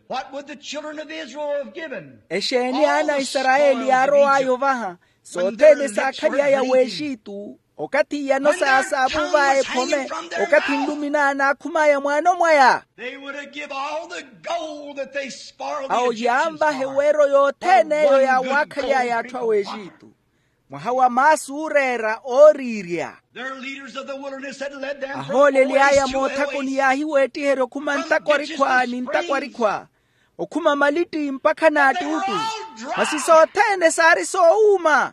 Exeeni aana a isarayeli yaarow'aya ovaha sothene saakhaly'aya w'exitu, okathi iyano saasaavuva ephome, okathi nlumi naana aakhum'aya mwaano mwaya? Awo yaanvaha eweero yothene eyo yaawaakhali aya atthu a w'exitu. Mwaha wa maasu ooreera ooriirya. Ahooleli aya moothakoni yaahiweettiherya okhuma ntakwarikhwa ni ntakwarikhwa, okhuma malitti mpakha n'attuuttu. Masi sothene saari soowuuma.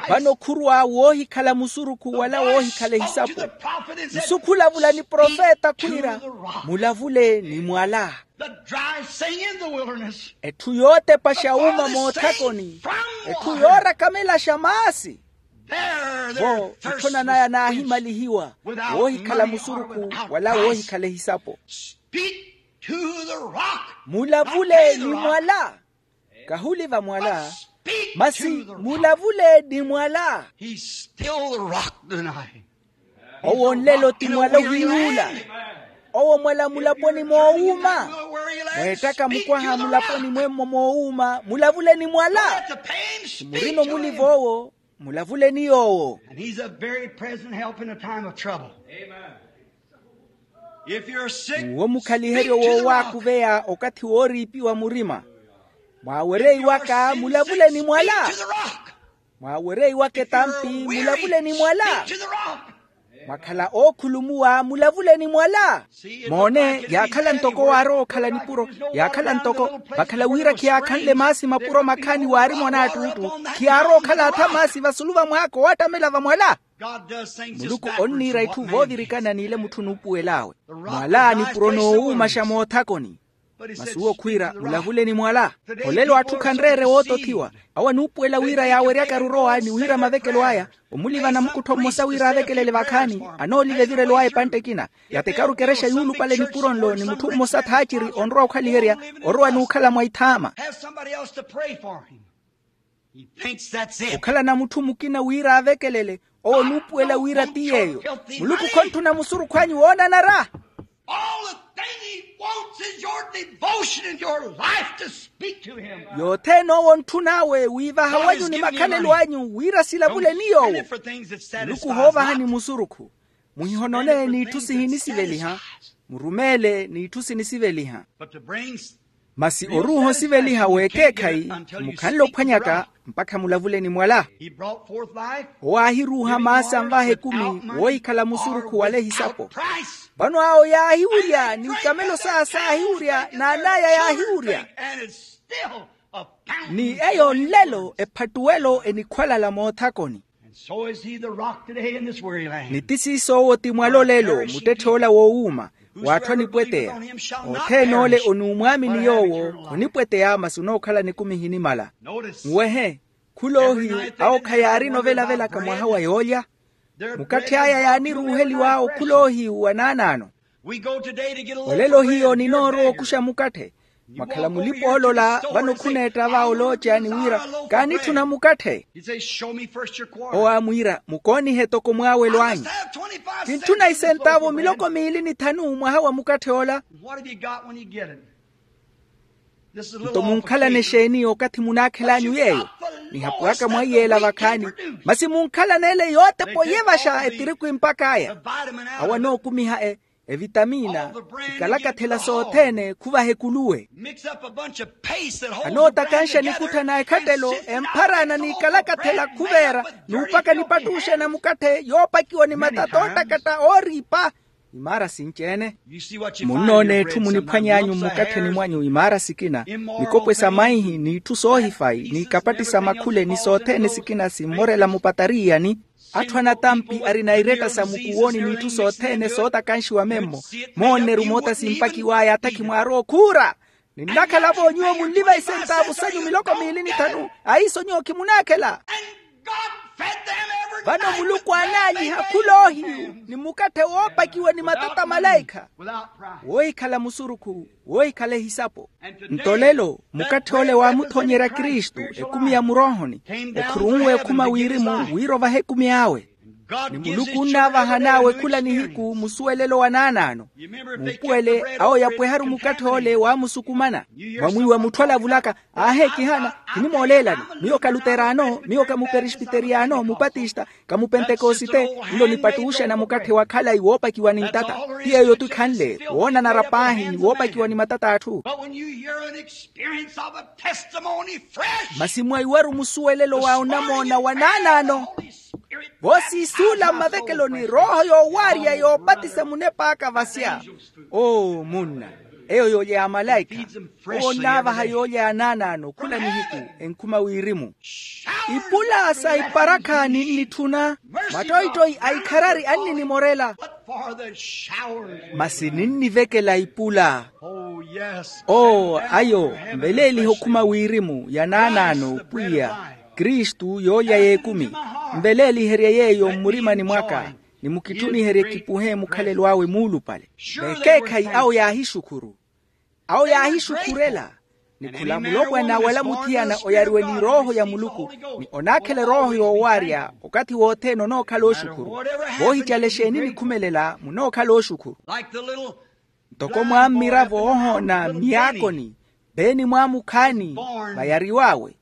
Vano khurwa woohikhala musurukhu wala woohikhala ehisapo. Nsu khulavula ni profeta khwiira, mulavule ni mwala. Etthu yootepaxa wuuma moothakoni, etthu yoorakamelaxa maasi. Vo etthonan'aya naahimalihiwa, woohikhala musurukhu wala woohikhala ehisapo. Mulavule ni mwala. Kahuliva mwala, masi mulavule ni mwala. Owo nlelo ti mwala ohiiwula. Owo mwala mulaponi moowuuma. Mweettaka mukwaha mulaponi mwemmo moowuuma mulavule ni mwala. Murino muliva owo, mulavule ni yoowo. N'uwo mukhaliheryo woowaakuveya okathi wooriipiwa murima. Mwaawereiwaka mulavule ni mwala. Mwaawereiwaka etampi mulavule ni mwala. Mwakhala ookhulumuwa mulavuleni mwala. Moone, yaakhala ntoko waarowa okhala nipuro, yaakhala ntoko vakhala wira khiyaakhanle maasi mapuro makhaani waari mwanaattuttu. Khiyaarowa okhala atha maasi vasulu va mwaako oottamela vamwala. Muluku onniira itthu voovirikana n'ile mutthu onuupuwel'awe. Mwala nipuro noowuumaxa moothakoni. Masi uwo khwiira mulavuleni mwala. Olelo atthu khanreere wootothiwa. Awo anuupuwela wira yaaweryakaru orowa ni wiira mavekelo aya, omulivana mukuttho mmosa wira avekelele vakhaani. Anooliva evirelo aya epantte ekina. Yatekaru ekerexa yuulupale nipuro nlo ni mutthu mmosa thaaciri onrowa okhaliherya, orowa n'ukhala mwa ithaama. Okhalana mutthu mukina wira avekelele. Owo onuupuwela wira ti yeeyo. Muluku khonttuna musurukhu anyu woonanara. All the thing he wants is your devotion and your life to speak to him. Yothene owo ontthun'awe wiivaha wanyu ni makhalelo anyu wira silavuleni yoowo. Muluku hoovahani musurukhu. Muhihonone n'itthu sihinisiveliha. Murumeele n'itthu sinisiveliha. Masi oruuha osiveliha w'ekeekhayi, mukhanle ophwanyaka mpakha mulavuleni mwala. Owo aahiruuha maasi anvaha ekumi woohikhala musurukhu wala ehisapo. Vano awo yaahiwurya ni ikamelo saya saahiwurya n'an'aya yaahiwurya. Ni eyo nlelo ephattuwelo enikhwalala moothakoni. Ni ti siiso owo ti mwala olelo muttetthe ola woowuuma, w'atthu anipweteya. Othene ole onuumwaamini yoowo khonipweteya masi onookhala nikumi ehinimala. Muwehe, khuloohiyu awo khayaarina ovelavelaka mwaha wa yoolya. Mukatthe aya yaaniruuheliwa okhuloohiyu wa naanaano. Olelo hiyo ninoorowa okuxa mukatthe. Mwakhala mulipa oolola vano khuneetta va olooca ni wira, kaanitthuna mukatthe. Owo aamwiira mukoonihe toko mwaawelo anyu. Kintthuna isentaavu miloko miili ni thanu mwaha wa mukatthe ola. Nto munkhalane exeeni okathi munaakhel'anyu yeeyo? Nihapuwaka mwaiyela vakhaani. Masi munkhalane ele yootepa oyevaxa etiriku impak'aya. Awo anookumiha e evitamina, ikalakathela sothene khuvaha ekuluwe. Anootakanxa nikuttha na ekhattelo empharana n'ikalakathela khuveera n'upaka nipattuxa na mukatthe yoopakiwa ni matata oottakatta ooriipa. Imaara sinci-ene. Munnoona etthu muniphwany'anyu mmukattheni mwanyu imaara sikina, mikopwe sa maihi n'itthu soohifayi n'ikapatti sa makhule ni sothene sikina simmorela mupatariiyani. Atthu anatampi arina iretta sa mukuwoni n'itthu sothene sootakanxiwa memmo. Moonneru moota simpakiw'aya atakhi mwaarowa okhuura. Ninnakhala-vo nyuwo munliva isentaavu sanyu miloko miili ni thanu. Aiso nyuwo khimunaakhela. Vano muluku aanaalyiha khuloohiyu ni mukatthe woopakiwa ni matata malaikha, woohikhala musurukhu, woohikhala ehisapo. Nto lelo mukatthe ole waamuthoonyerya kristu ekumi ya muroohoni, okhurunwe okhuma wirimu wira ovaha ekumi awe. Ni muluku onnaavahan'awe khula nihiku musuwelelo wa naanaano. Muupuwele awo yapweharu mukatthe ole waamusukumana. Mwamwiiwa mutthu alavulaka, aahe kihana, khinimooleelani. Miyo ka luteraano, miyo ka muperespiteriyano mupatista, ka mupentekosite. Nlo nipattuuxa na mukatthe wa khalayi woopakiwa ni ntata. Ti yeeyo-tu ekhanle woonanara paahi ni woopakiwa ni matata a atthu. Masi mwaiwaru musuwelelo wa onamoona wa naanaano, voosiisuula mmavekeloni rooho yoowaarya yoopatisa munep'aka vasya. Oo munna, eyo yoolya ya malaikha. Owo onnaavaha yoolya ya naanaano khula nihiku enkhuma wirimu. Ipula sa iparakha ninnitthuna, mattoittoyi a ikharari anninimorela. Masi ninnivekela ipula. Oo ayo, mveleelihe okhuma wirimu ya naanaano pwiya, kristu yoolya y'ekumi. Mveleeliherye yeeyo mmurimani mwaka, ni mukitthuniherye kipuhe mukhalelo awe muulupale. Vekeekhayi awo yaahixukhuru. Awo yaahixukhurela. Ni khula mulopwana wala muthiyana oyariwe ni erooho ya muluku, ni onaakhela erooho yoowaarya okathi wothene onookhala oxukhuru. Voohicala exeeni nikhumelela munookhala oxukhuru. Ntoko mwaammiravo oohoona mmiyaakoni, veeni mwaamukhaani vayariw'awe,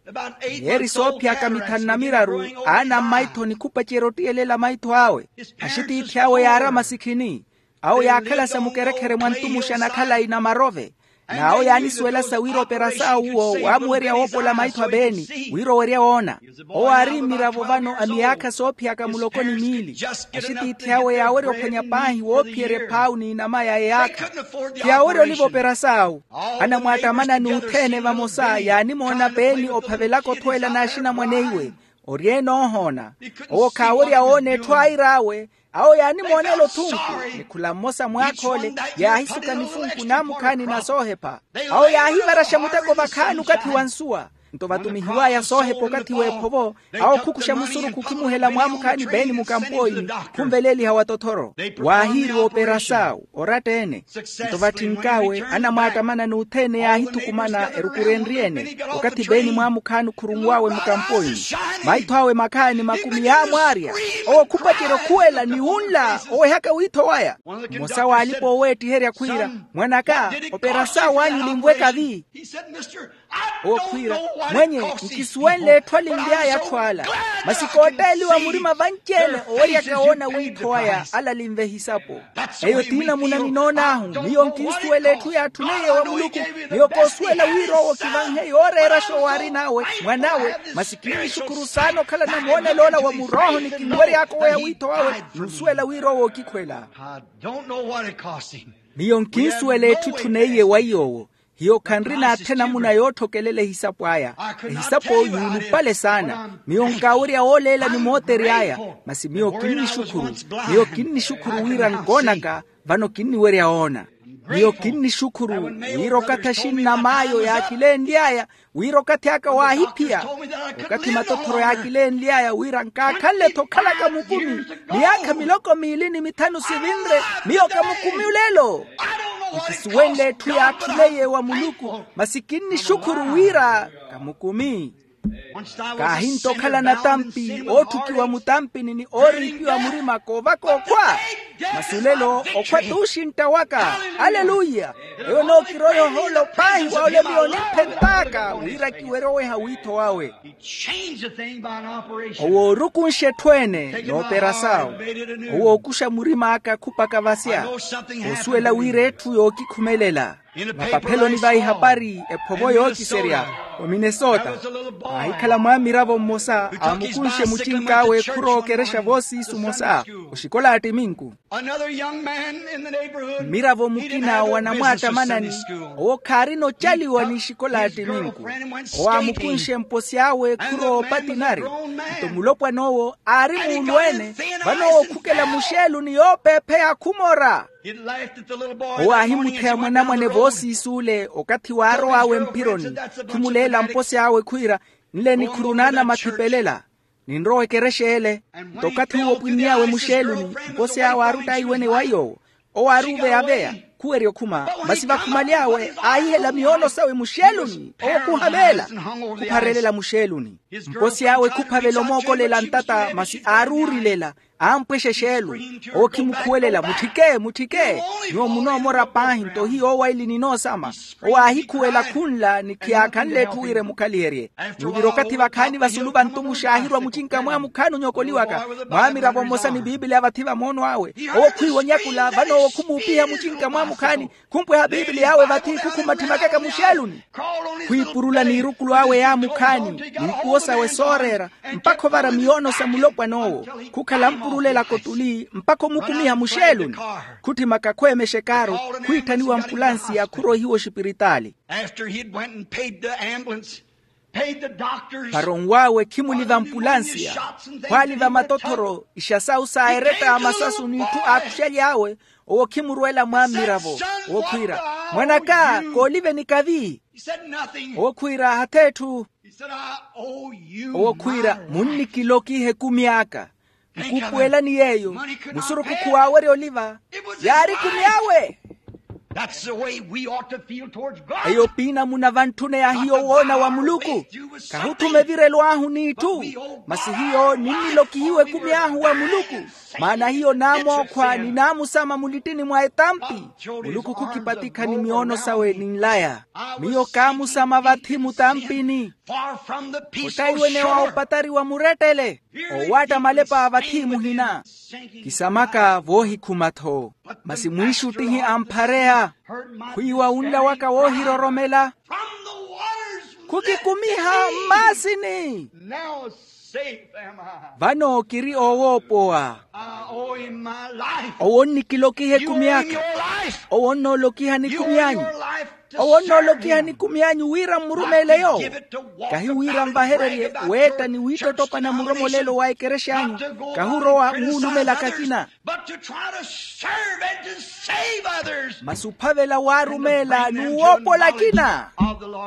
miyeeri soophiyaka mithanu na miraru, aana mmaithoni khupacerya ottiyelela maitho awe. Axitiithi awe yaarama sikhini. Awo yaakhala sa mukerekhere mwa ntumuxa na khalayi na marove. N'awo yaanisuwelasa wira operasaawu uwo waamuwerya woopola maitho a peeni wira owerya woona. Owo aari mmiravo vano a miyaakha soophiyaka muloko ni miili. Axitiithi awe yaawerya ophwanya paahi woophiyerya ephaawu n'inama ya eyaakha. Ti yaawerya oliva operasaawu. Anamwaattamanani othene vamosa yaanimoona peeni ophavelaka othweela n'axinamwane iwe. Ori-ene oohoona. Owo khaawerya woona etthu air'awe. Awo yaanimoonela othunku. Ni khula mmosa mwaakha ole yaahisuka nifunku naamukhaani na soohepha. Awo yaahivaraxa muteko vakhaani okathi wa nsuwa. Nto vatumihiw'aya soohepa okathi w'ephovo. Awo khukuxa musurukhu khimuhela mwaamukhaani peeni mukampooini. Khunveleeliha wa tothoro. Waahiiriwa operasaawu oratta-ene. Nto vatthink'awe anamwaattamanani othene yaahithukumana erukurenrye-ene. Okathi peeni mwaamukhaani khurunw'awe mukampooini. Maitho awe makhaani makumi yaamwaarya. Owo khupacerya okhuwela ni wunla owehaka wiitho waya. Mmosa w'alipa-ooweettiherya khwiira, mwan'aka, operasaawu anyu olinvweka vi? Owo khwiira, mwenye, nkisuwenle etthu alinly'aya atthu ala. Masi kootteeliwa murima vanci-ene oweryaka woona wiitho waya ala alinve ehisapo. Eyo ti namuna ninoon'ahu. Miyo nkinsuwela etthu yaatthuneiye wa muluku. Miyo koosuwela wira owo kivanhe yooreeraxa owo aarin'awe mwan'awe. Masi kinnixukhuru saana okhala namoonelo ola wa murooho ni kinwery'aka oweya wiitho wawe. N'usuwela wira owo okikhwela. Miyo nkinsuwela etthu etthuneiye wa iy'owo. Hiyo khanri n'atthe namuna yootthokelela ehisapo aya. Ehisapo yuulupale saana. Miyo nkaawerya wooleela ni mootery'aya. Masi miyo kinnixukhuru. Miyo kinnixukhuru wira nkoonaka. Vano kinniwerya woona. Miyo kinnixukhuru wira okathi axinnam'aya yaakilenly'aya. Wira okathi aka waahiphiya. Okathi matothoro yaakilenly'aya wira nkaakhanle-tho okhalaka mukumi. Miyaakha miloko miili ni mithanu sivinre. Miyo kamukumi olelo. Nkisuwenle etthu yaatthuneiye wa muluku. Masi kinnixukhuru wira kamukumi. Kaahinta okhala natampi ootthukiwa mutampini ni ooriipiwa murima koovaka okhwa. Masi olelo okhwa t'uxintta waka. Aleluya. Eyo nookiroya ohoolo paahi wa ole miyo onimphent'aka wira kiwerye oweha wiitho wawe. Owo oorukunxa etthu ene n'operasaawu. Owo ookuxa murim'aka khupaka vasya. Osuwela wira etthu yookikhumelela. Mapapheloni va ihapari ephovo yookiserya ominesota. Aahikhala mwaamiravo mmosa aamukunxe mucink'awe khurookerexa voosiisu omosa oxikola attiminku. Mmiravo mukina wa namwaattamanani owo khaarina ocaliwa n'ixikola attiminku. Owo aamukunxe mposi awe khuroopa tinari. Nto mulopwan'owo aari muulu-ene. Vano owo khukela muxeeluni yoopeepheya khumora. Owo aahimutheya mwanamwane voosiis'ule okathi waarow'awe mphironi. Khimuleela mposi awe khwiira, nle nikhuru naana mathipelela. Ninrowa ekerexa ele. Nto okathi uwo opwinn'awe muxeeluni, mposi awe aarutt'awe iwene wa yoowo. Owo aaruuveyaveya, khuwerya okhuma. Masi vakhumaly'awe aahihela miyoono sawe muxeeluni owo khuhaveela. Khupharelela muxeeluni. Mposi awe khuphavela omookolela ntata masi aaruurilela. Aampwexa exeelu. Owo khimukhuwelela mutthike mutthike. Nyuwo munoomora paahi nto hiyo owaili ninoosama. Owo aahikhuwela khunla ni khiyaakhanle etthu wira emukhaliherye. Nyuvira okathi vakhaani vasulu vantu muxaahirwa mucinka mwaamukhaani onyokoliwaka. Mwaamiravo mmosa ni piipiliya vathi va moono awe. Owo khwiiwa onyakula vano owo khumuupiha mucinka mwaamukhaani. Khumpweha piipiliya awe vathi khukhumathimakaka muxeeluni. Khwiipurula n'irukulu awe yaamukhaani n'ikuwo sawe sooreera. Mpakha ovara miyoono sa mulopwan'owo. Khukhala mpurulelaka otuli mpakha omukumiha muxeeluni. Khutthimaka khweemexa ekaaru. Khwiitthaniwa ampulansiya khuroihiwa oxipiritaali. Para onw'awe khimuliva ampulansiya. Khwaaliva matothoro ixa sawu sa eretta ya masasu n'itthu aakuxaly'awe. Owo khimurweela mwaammiravo. Owo khwiira, mwan'aka, kooliveni kavi. Owo khwiira, hath'etthu. Owo khwiira, munnikilokiha ekumi aka. Nkuupuwelani yeeyo. Musurukhu khuwaawerya oliva. Yaari ekumi awe. Eyo piinamuna vantthune ya hiyo woona wa muluku. Khahutthume evirelo ahu n'itthu. Masi hiyo ninnilokihiwa ekumi ahu wa muluku. Maana hiyo naamookhwa ni naamusama mulittini mwa etampi. Muluku khukipatikha ni miyoono sawe ni nlaya. Miyo kaamusama vathi mutampini. Ottaiwenewa opatari wa murettele. Owaatta malepa vathi muhina. Kisamaka voohikhuma-tho. Masi mwiixuttihi amphareya. Khwiiwa wunla waka woohiroromela. Khukikumiha mmaasini. Vano kiri oowoopowa. Owo onnikilokiha ekumi aka. Owo onnoolokiha nikumi anyu. Owo onnoolokiha nikumi anyu wira mmurumeele yoowo. Kahi wira nvahererye weetta ni wiittottopana muromolelo wa ekerexa anyu. Kahi orowa muulumela akina. Masi ophavela waarumeela n'uwoopola akina.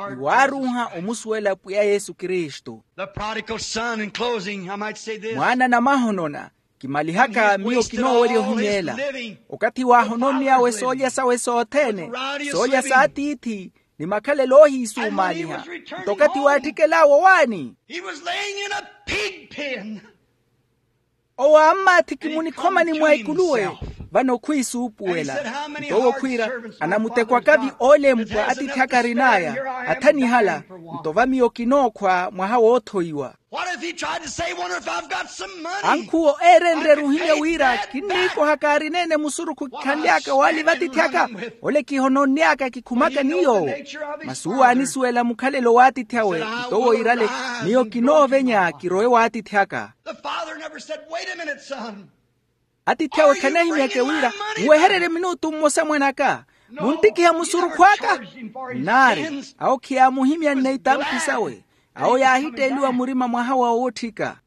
Ni waaruuha omusuwela pwiya yesu kristu. Mwaana namahonona. Kimalihaka miyo kinoowerya ohimyeela. Okathi waahononnyawe soolya sawe sothene, soolya saatiithi, ni makhalelo oohiisumaaliha. Nto okathi waattikel'awe owaani. Owo aammaathiki munikhomani mwa ikuluwe. Vano khwiisuupuwela. Nto owo khwiira, anamutekwakavi oolempwa atiithi aka arin'aya. Athanihala. Nto va miyo kinookhwa mwaha woothoiwa. Ankhuwo eerenrerya ohimya wira kinniikoha kaarineene musurukhu kikhanly'aka waali vatiithi aka. Ole kihononny'aka kikhumaka ni yoowo. Masi uwo aanisuwela mukhalelo w'atiithi awe. Nto owo iirale, miyo kinoovenya kirowe w'atiithi aka. Atiithi awe khanahimyake wira, muwehererye minutu mmosa mwan'aka. Munttikiha musurukhu aka. Nnaari. Awo khiyaamuhimyanne itampi sawe. Awo yaahitteeliwa murima mwaha wa owotthika.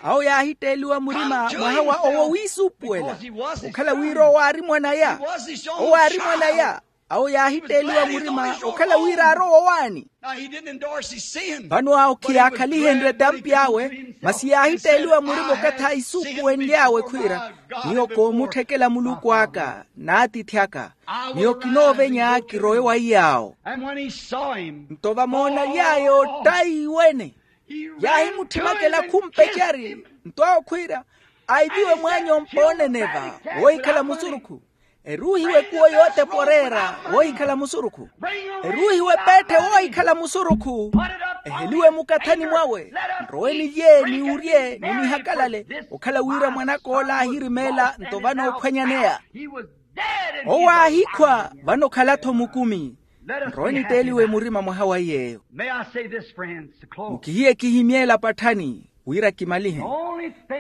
Awo yaahitteeliwa murima mwaha wa owo wiisuupuwela. Okhala wira owo aari mwan'aya. Owo aari mwan'aya. Awo yaahitteeliwa murima okhala wira aarowa owaani. Vano awo khiyaakhalihenrye etampi awe. Masi yaahitteeliwa murima okathi aisuupuwenly'awe khwiira, miyo koomutthekela muluku aka n'atiithi aka. Miyo kinoovenya kirowe wa iy'awo. Nto vamoonaly'aya ottayi wene, yaahimutthimaka elakhu mpecari. Nto awo khwiira, aiviwe mwaany'ompa oneneva woohikhala musurukhu. Eruuhiwe ekuwo yootepa oreera woohikhala musurukhu. Eruuhiwe epeetthe woohikhala musurukhu. Eheliwe mukathani mwawe. Nrowe nilye niwurye ni nihakalale. Okhala wira mwan'aka ola aahirimeela nto vano oophwanyaneya. Owo aahikhwa. Vano okhala-tho mukumi. Nrowe nitteeliwe murima mwaha wa iy'eyo. Mukihiye kihimyeela patthani wira kimalihe.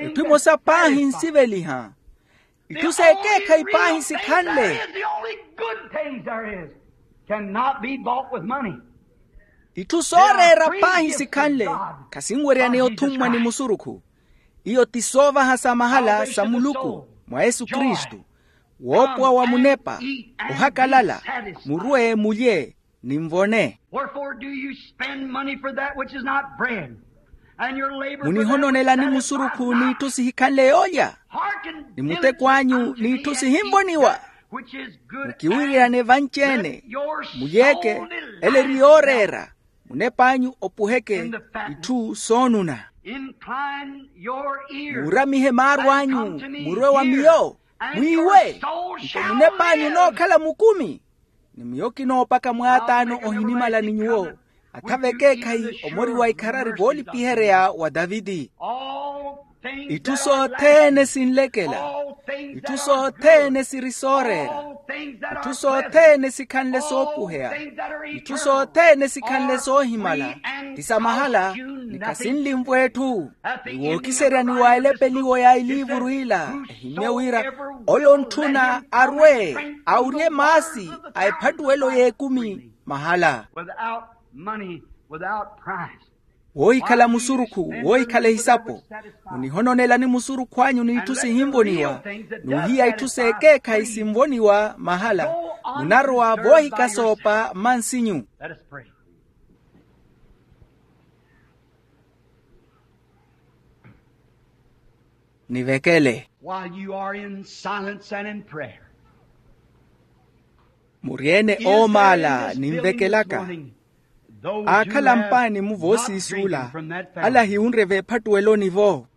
Itthu emosa paahi nsiveliha. Itthu s'ekeekhayi paahi sikhanle. Itthu sooreera paahi sikhanle khasinweryaneya othummwa ni musurukhu. Iyo ti soovaha sa mahala sa muluku mwa yesu kristu. Woopowa wa munepa, ohakalala, murwe mulye, ni nvone. Munihononelani musurukhu n'itthu sihikhanle yoolya, ni muteko anyu n'itthu sihinvoniwa. Mukiwiryane vanci-ene, mulyeke, ele eri yooreera. Munep'anyu opuheke itthu soonuna. Muuramihe maaru anyu, murwe wa miyo, mwiiwe. Nto munep'anyu onookhala mukumi. Ni miyo kinoopaka mwaataano ohinimala ni nyuwo, atha v'ekeekhayi omori wa ikharari voolipiherya wa taviti. Itthu sothene sinlekela. Itthu sothene siri sooreera. Itthu sothene sikhanle soopuheya. Itthu sothene sikhanle soohimala ti sa mahala. Ni khasinlimvwa etthu. Ni wookiserya ni waalepeliwa ya iliivuru ila, ehimmye wira ole ontthuna arwe, awurye maasi a ephattuwelo y'ekumi mahala. Woohikhala musurukhu, woohikhala ehisapo. Munihononelani musurukhu anyu n'itthu sihinvoniwa, n'uhiya itthu s'ekeekhayi sinvoniwa mahala. Munarowa voohikasoopa mmansinyu. Nivekele. Muryeene oomaala ninvekelaka. Aakhala mpaani-mu voosiisuula, ala ahiwunre veephattuweloni-vo.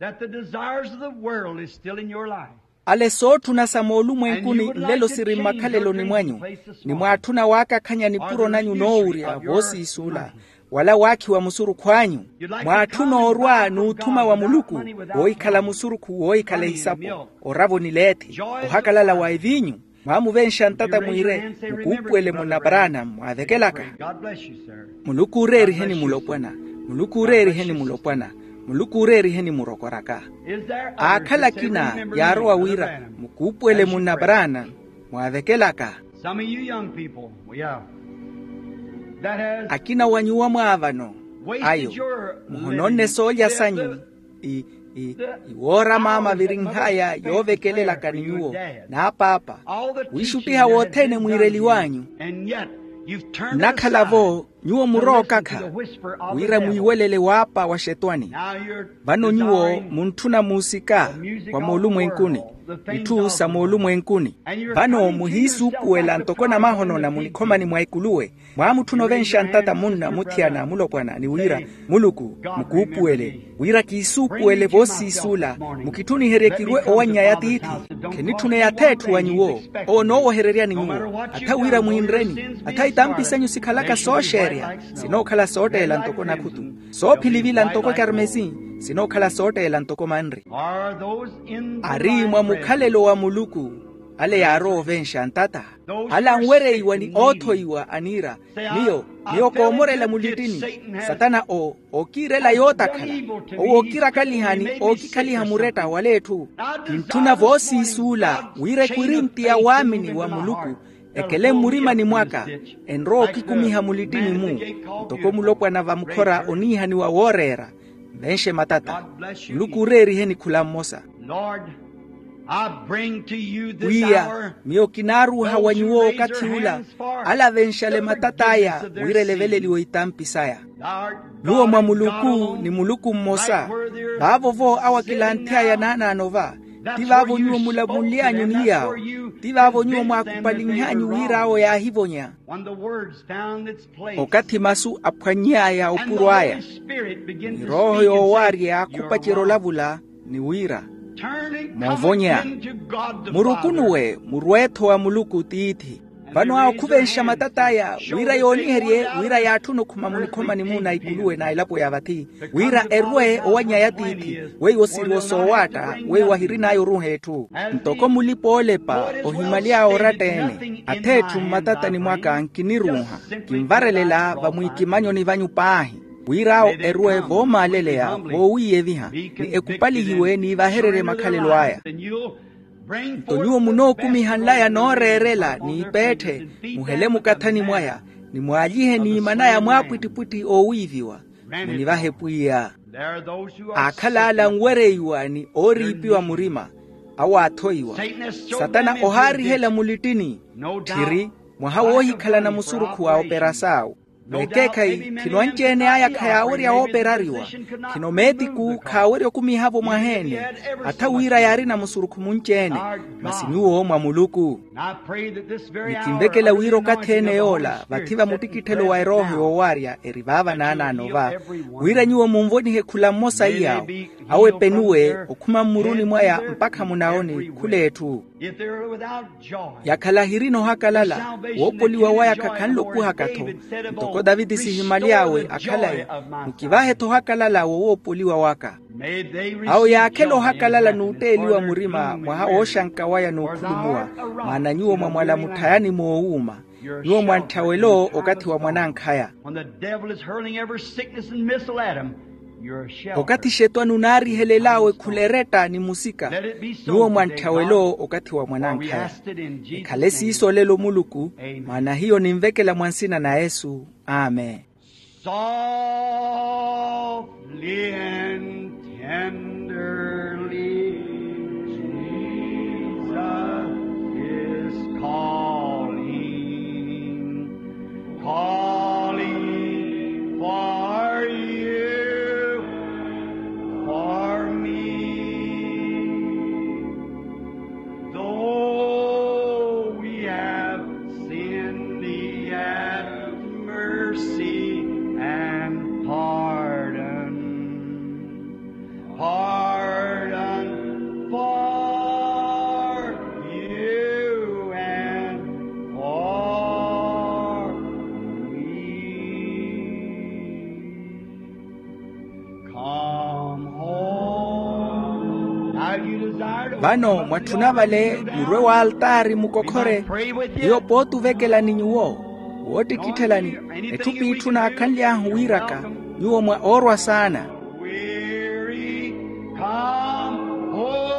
Ale sootthuna sa moolumwenkuni nlelo siri mmakhaleloni mwanyu, ni mwaatthuna waakakhanya nipuro nanyu noowurya voosiisuula, wala waakhiwa musurukhu anyu. Mwaatthuna orwa n'uthuma wa muluku, woohikhala musurukhu woohikhala ehisapo, oravo ni leethi, ohakalala wa eviinyu. Mwaamuvenxa ntata mwiire, mukuupuwele munna paraana mwaavekelaka. Muluku ooreeriheni mulopwana. Muluku ooreeriheni mulopwana. Muluku ooreeriheni murokoraka. Aakhala akina yaarowa wira mukuupuwele munna paraana mwaavekelaka. Akina wa nyuwo mwaavano ayo, muhononne soolya sanyu. Iwoora maama virinhaya yoovekelelaka ni nyuwo n'apaapa, wiixuttiha wothene mwiireliw'anyu. Nnakhala-vo nyuwo murookakha wira mwiiwelele waapa wa xetwani. Vano nyuwo muntthuna muusika wa moolumwenkuni, itthu sa moolumwenkuni. Vano muhiisuupuwela ntoko namahono na munikhomani mwa ekuluwe. Mwaamutthuna ovenxa ntata munna muthiyana mulopwana ni wira, muluku mukuupuwele wira kiisuupuwele voosiisuula. Mukitthuniherye kirwe owanny'aya tiithi. Khenitthuna eyath'etthu wa nyuwo. Owo onoowohereryani nyuwo atha wira mwiinreni. Atha itampi senyu sikhalaka sooxeerya sinookhala sootteela ntoko nakhutu, soophilivila ntoko ekarmesi, sinookhala sootteela ntoko manri. Ari mwa mukhalelo wa muluku ale yaarowa ovenxa ntata. Ale anwereiwa ni oothoiwa aniira, miyo miyo koomorela mulittini. Satana owo ookiirela yootakhala. Owo ookirakaliha ni ookikhaliha muretta waletthu. Kintthuna voosiisuula wira ekwirinti ya waamini wa muluku ekele mmurimani mwaka, enrowa okikumiha mulittini-mu ntoko mulopwana vamukhora oniihaniwa wooreera. Nvenxe matata. Muluku ooreeriheni khula mmosa. Pwiya, miyo kinaaruuha wa nyuwo okathi ula, ale avenxale matat'aya wira eleveleliwe itampi saya. Nyuwo mwa muluku ni muluku mmosa. Vaavo-vo awo akilanthy'aya naanaano va. Ti vaavo nyuwo mulavunly'anyu ni yaawo. Ti vaavo nyuwo mwaakupalinh'anyu wira awo yaahivonya. Okathi masu aphwanny'aya opuro aya, ni rooho yoowaarya yaakhupacerya olavula ni wira, moovonya, murukunuwe murwe-tho wa muluku tiithi. Vano awo khuvenxa matat'aya wira yooniherye wira yaatthune okhuma munikhomani-mu na ikuluwe na elapo ya vathi, wira erwe owanny'aya tiithi. Weiwo siriwo soowaatta weiwo ahirin'aya oruuha etthu. Ntoko mulipa-oolepa ohimaly'aya oratta-ene, ath'etthu mmatatani mwaka nkiniruuha. Kinvarelela vamwiikimanyoni vanyu paahi, wira awo erwe voomaaleleya voowiiyeviha ni ekupalihiwe niivahererye makhalelo aya. Nto nyuwo munookumiha nlaya nooreerela n'ipeetthe, muhele mukathani mwaya, ni mwaalyihe niiman'aya mwaapwittipwitthi oowiiviwa. Munivahe pwiya. Aakhala ale anwereiwa ni ooriipiwa murima, awo aathoiwa. Satana ohaarihela mulittini. Tthiri, mwaha woohikhalana musurukhu wa operasaawu. Vekeekhayi khino anci-ene aya khayaawerya wooperariwa. Khino meetiku khaawerya okumiha-vo mwaha-ene. Atha wira yaarina musurukhu munci-ene, masi nyuwo mwa muluku. Ni kinvekela wira okathi-ene yoola vathi va muttikitthelo wa erooho yoowaarya eri vaava naanaano va, wira nyuwo munvonihe khula mmosa iyaawo, awo epenuwe okhuma mmuruni mwaya mpakha munawoni khula etthu. Yakhala ahirina ohakalala, woopoliwa waya khakhanle opuhaka-tho. Ntoko taviti sihimaly'awe akhalayi, mukivahe-tho ohakalala wo woopoliwa waka. Awo yaakhela ohakalala n'utteeliwa murima mwaha wooxanka waya n'ukhulumuwa. Maana nyuwo mwamwala mutthayani moowuuma. Nyuwo mwantthya welo okathi wa mwanankhaya. Okathi xetwani onaarihelel'awe khula eretta ni musika, nyuwo mwantthya welo okathi wa mwanankhaya. Ekhale siiso olelo muluku. Maana hiyo ninvekela mwa nsina na yesu. Amen. Softly and tenderly, Jesus is calling, calling for you, for me. Though we have sinned, He hath mercy and pardon. Vano mwatthuna vale murwe w'altaari mukokhore. Hiyo pooti ovekelani nyuwo woottikitthelani etthu p'itthu naakhanly'ahu wiiraka nyuwo mwa oorwa saana. Weary, come home.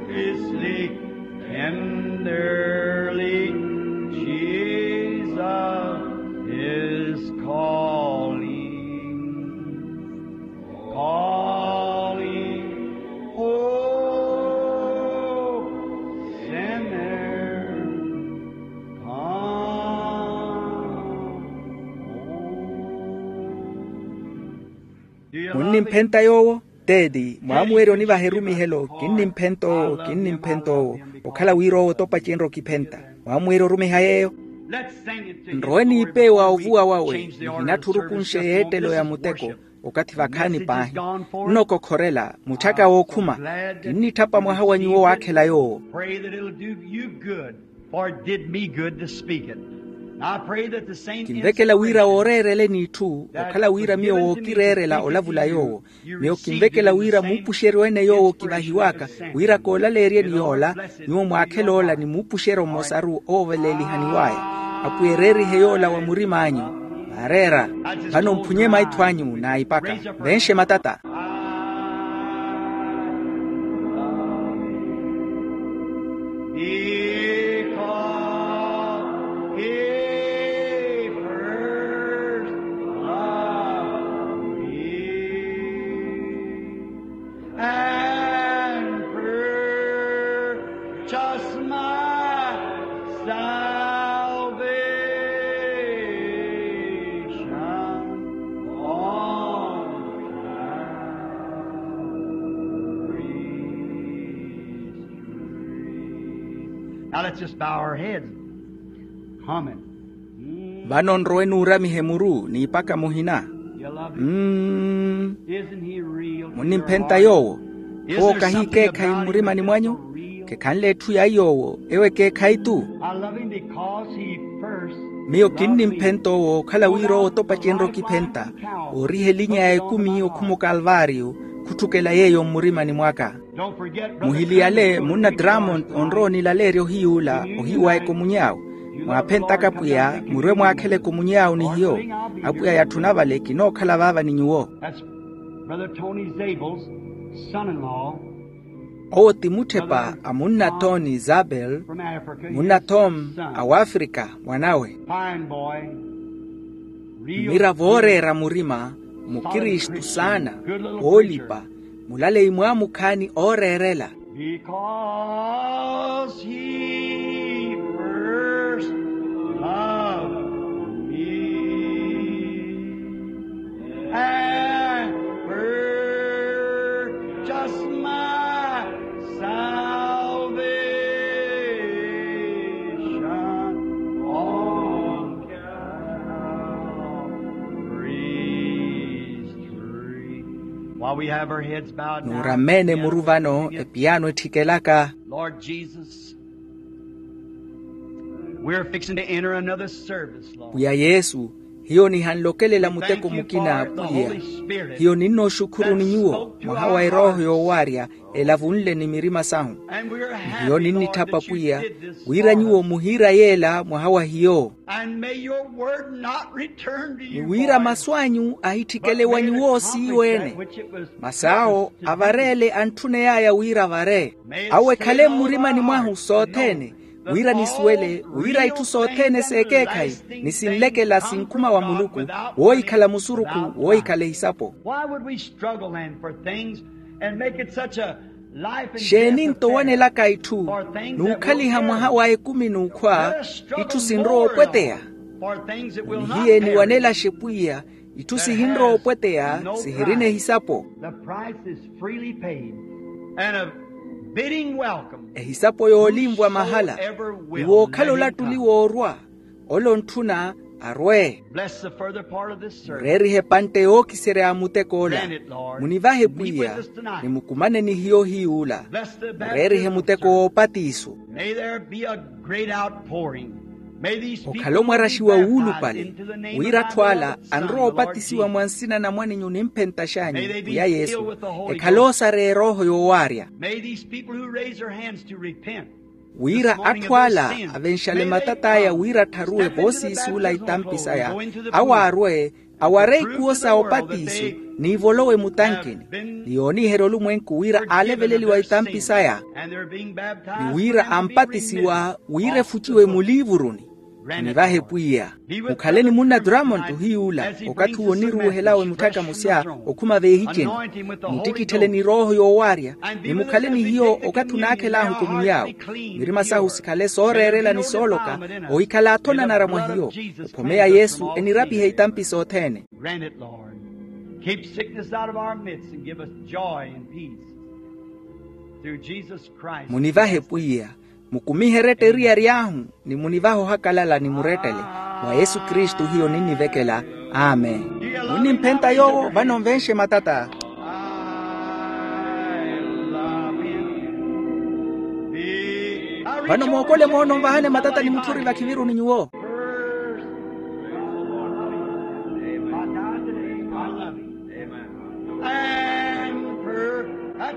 Listen tenderly, Jesus is calling, calling, oh, sinner, come home. Munnimphenta yoowo? Teeti, mwaamuwerya onivaha erumihelo, kinnimphenta owo, kinnimphenta owo. Okhala wira owo otopa cinrokiphenta. Mwaamuwerya orumiha yeeyo? Nrowe niipe wa ovuwa wawe, nihinatthi orukunshe y'ettelo ya muteko. Okathi vakhaani paahi, nnokokhorela mutthaka wookhuma. Kinnitthapa mwaha wa nyuwo waakhela yoowo. Pray that it'll do you good, for it did me good to speak it. And I pray that the same kinvekela wira wooreereleni itthu okhala wira miyo wookireerela olavula yoowo. Miyo kinvekela wira muupuxeryo-ene yoowo kivahiwaka, wira koolaleeryeni yoola, nyuwo mwaakhela ola ni muupuxeryo mmosaru ooveleelihaniw'aya. Apwiya ereerihe yoola wa murim'anyu. Vaareera. Vano mphunye maitho anyu naipaka. Venxe matata. Because he first loved me and purchased my salvation on Calvary's tree. Now let's just bow our heads. Amen. Vano nrowe nuuramihe muru n'ipaka muhina. Mm. Munnimphenta yoowo? Owo kahi ekeekhayi mmurimani mwanyu? Kekhanle etthu ya iyoowo ewo ekeekhayi-tu. Miyo kinnimphenta owo okhala wira owo otopa cinrowa okiphenta. Ooriha elinya ya ekumi okhuma okalvaariyo. Khutthukela yeeyo mmurimani mwaka. Muhiliyale munna dramond onrowa onilaleerya ohiy'ula ohiyu wa ekomuny'awu. Mwaaphentaka pwiya murwe mwaakhela ekomuny'awu ni hiyo. Apwiya yatthuna vale kinookhala vaava ni nyuwo. That's Brother Tony Zabel's son-in-law. Owo ti mutthepa a munna tony zabel, munna tom a wafrika mwanawe. Fine boy. Mira vooreera murima, mukristu saana, woolipa, mulaleyi mwaamukhaani ooreerela. Because he first loved me and purchased my salvation on Calvary's tree. While we have our heads bowed now, nuurameene muru vano epiyaano etthikelaka. Lord Jesus, we're fixing to enter another service, Lord. Pwiya yesu, hiyo nihanlokelela muteko mukina apwiya. Hiyo ninnooxukhuruni nyuwo mwaha wa erooho yoowaarya elavunle ni mirima sahu. Ni hiyo ninnitthapa pwiya wira nyuwo muhiira yeela mwaha wa hiyo. Ni wira masu anyu ahitthikele wa nyuwo siiwo-ene. Masi awo avareele antthuney'aya wira avare. Awo ekhale mmurimani mwahu sothene, wira nisuwele wira itthu sothene s'ekeekhayi ni sinlekela sinkhuma wa muluku, woohikhala musurukhu woohikhala ehisapo. Why would we struggle then for things and make it such a life and death affair? Xeeni nto wanelaka itthu n'ukhaliha mwaha wa ekumi n'ukhwa? Itthu sinrowa opweteya. Ni hiye niwanelaxe pwiya itthu sihinrowa opweteya, sihirina ehisapo. The price is freely paid, and a bidding welcome. Ehisapo yoolinvwa mahala. Ni wookhala olattuli woorwa, ole ontthuna arwe. Bless the further part of this service. Mureerihe epantte yookiserya ya muteko ola. Grant it, Lord. Munivahe pwiya. Meet with us tonight. Ni mukumane ni hiyo ohiy'ula. Bless the baptism service. Mureerihe muteko woopatiso. May there be a great outpouring. Okhale omwaraxiwa wuulupale, wira atthu ala anrowa opatisiwa mwa nsina na mwan'inyu nimphentaxanyu pwiya yesu, ekhale osareya erooho yoowaarya. Wira atthu ala avenxale matat'aya wira attharuwe voosiisi ula itampi saya, awo aarwe aware ikuwo sa opatiso, n'ivolowe mutankini, ni yooniherya olumwenku wira aaleveleliwa itampi saya, ni wira ampatisiwa wira efuciwe muliivuruni. Munivahe pwiya. Mukhale ni munna drummond ohiy'ula, okathi owo oniruuhelawe mutthaka musya okhuma veehiceni. Muttikitthele ni rooho yoowaarya, ni mukhale ni hiyo okathi onaakhel'ahu komunyawo. Mirima sahu sikhale sooreerela ni sooloka, ohikhala athonanara mwa hiyo. Ophomeya yesu enirapihe itampi sothene. Grant it, Lord. Keep sickness out of our midst and give us joy and peace. Through Jesus Christ. Munivahe pwiya. Mukumihe eretta eriyari ahu, ni munivahe ohakalala ni murettele. Mwa yesu kristu hiyo ninnivekela. Amen. Munnimphenta yoowo vano nvenxe matata. Vano mookole moono nvahane matata ni mutthuri vakhiviruni nyuwo.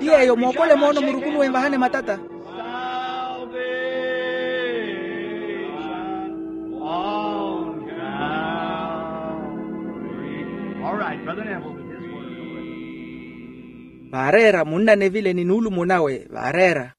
Ti yeeyo mookole moono murukunuwe nvahane matata. Vaareera munna nevile ni nuulumo nawe vaareera.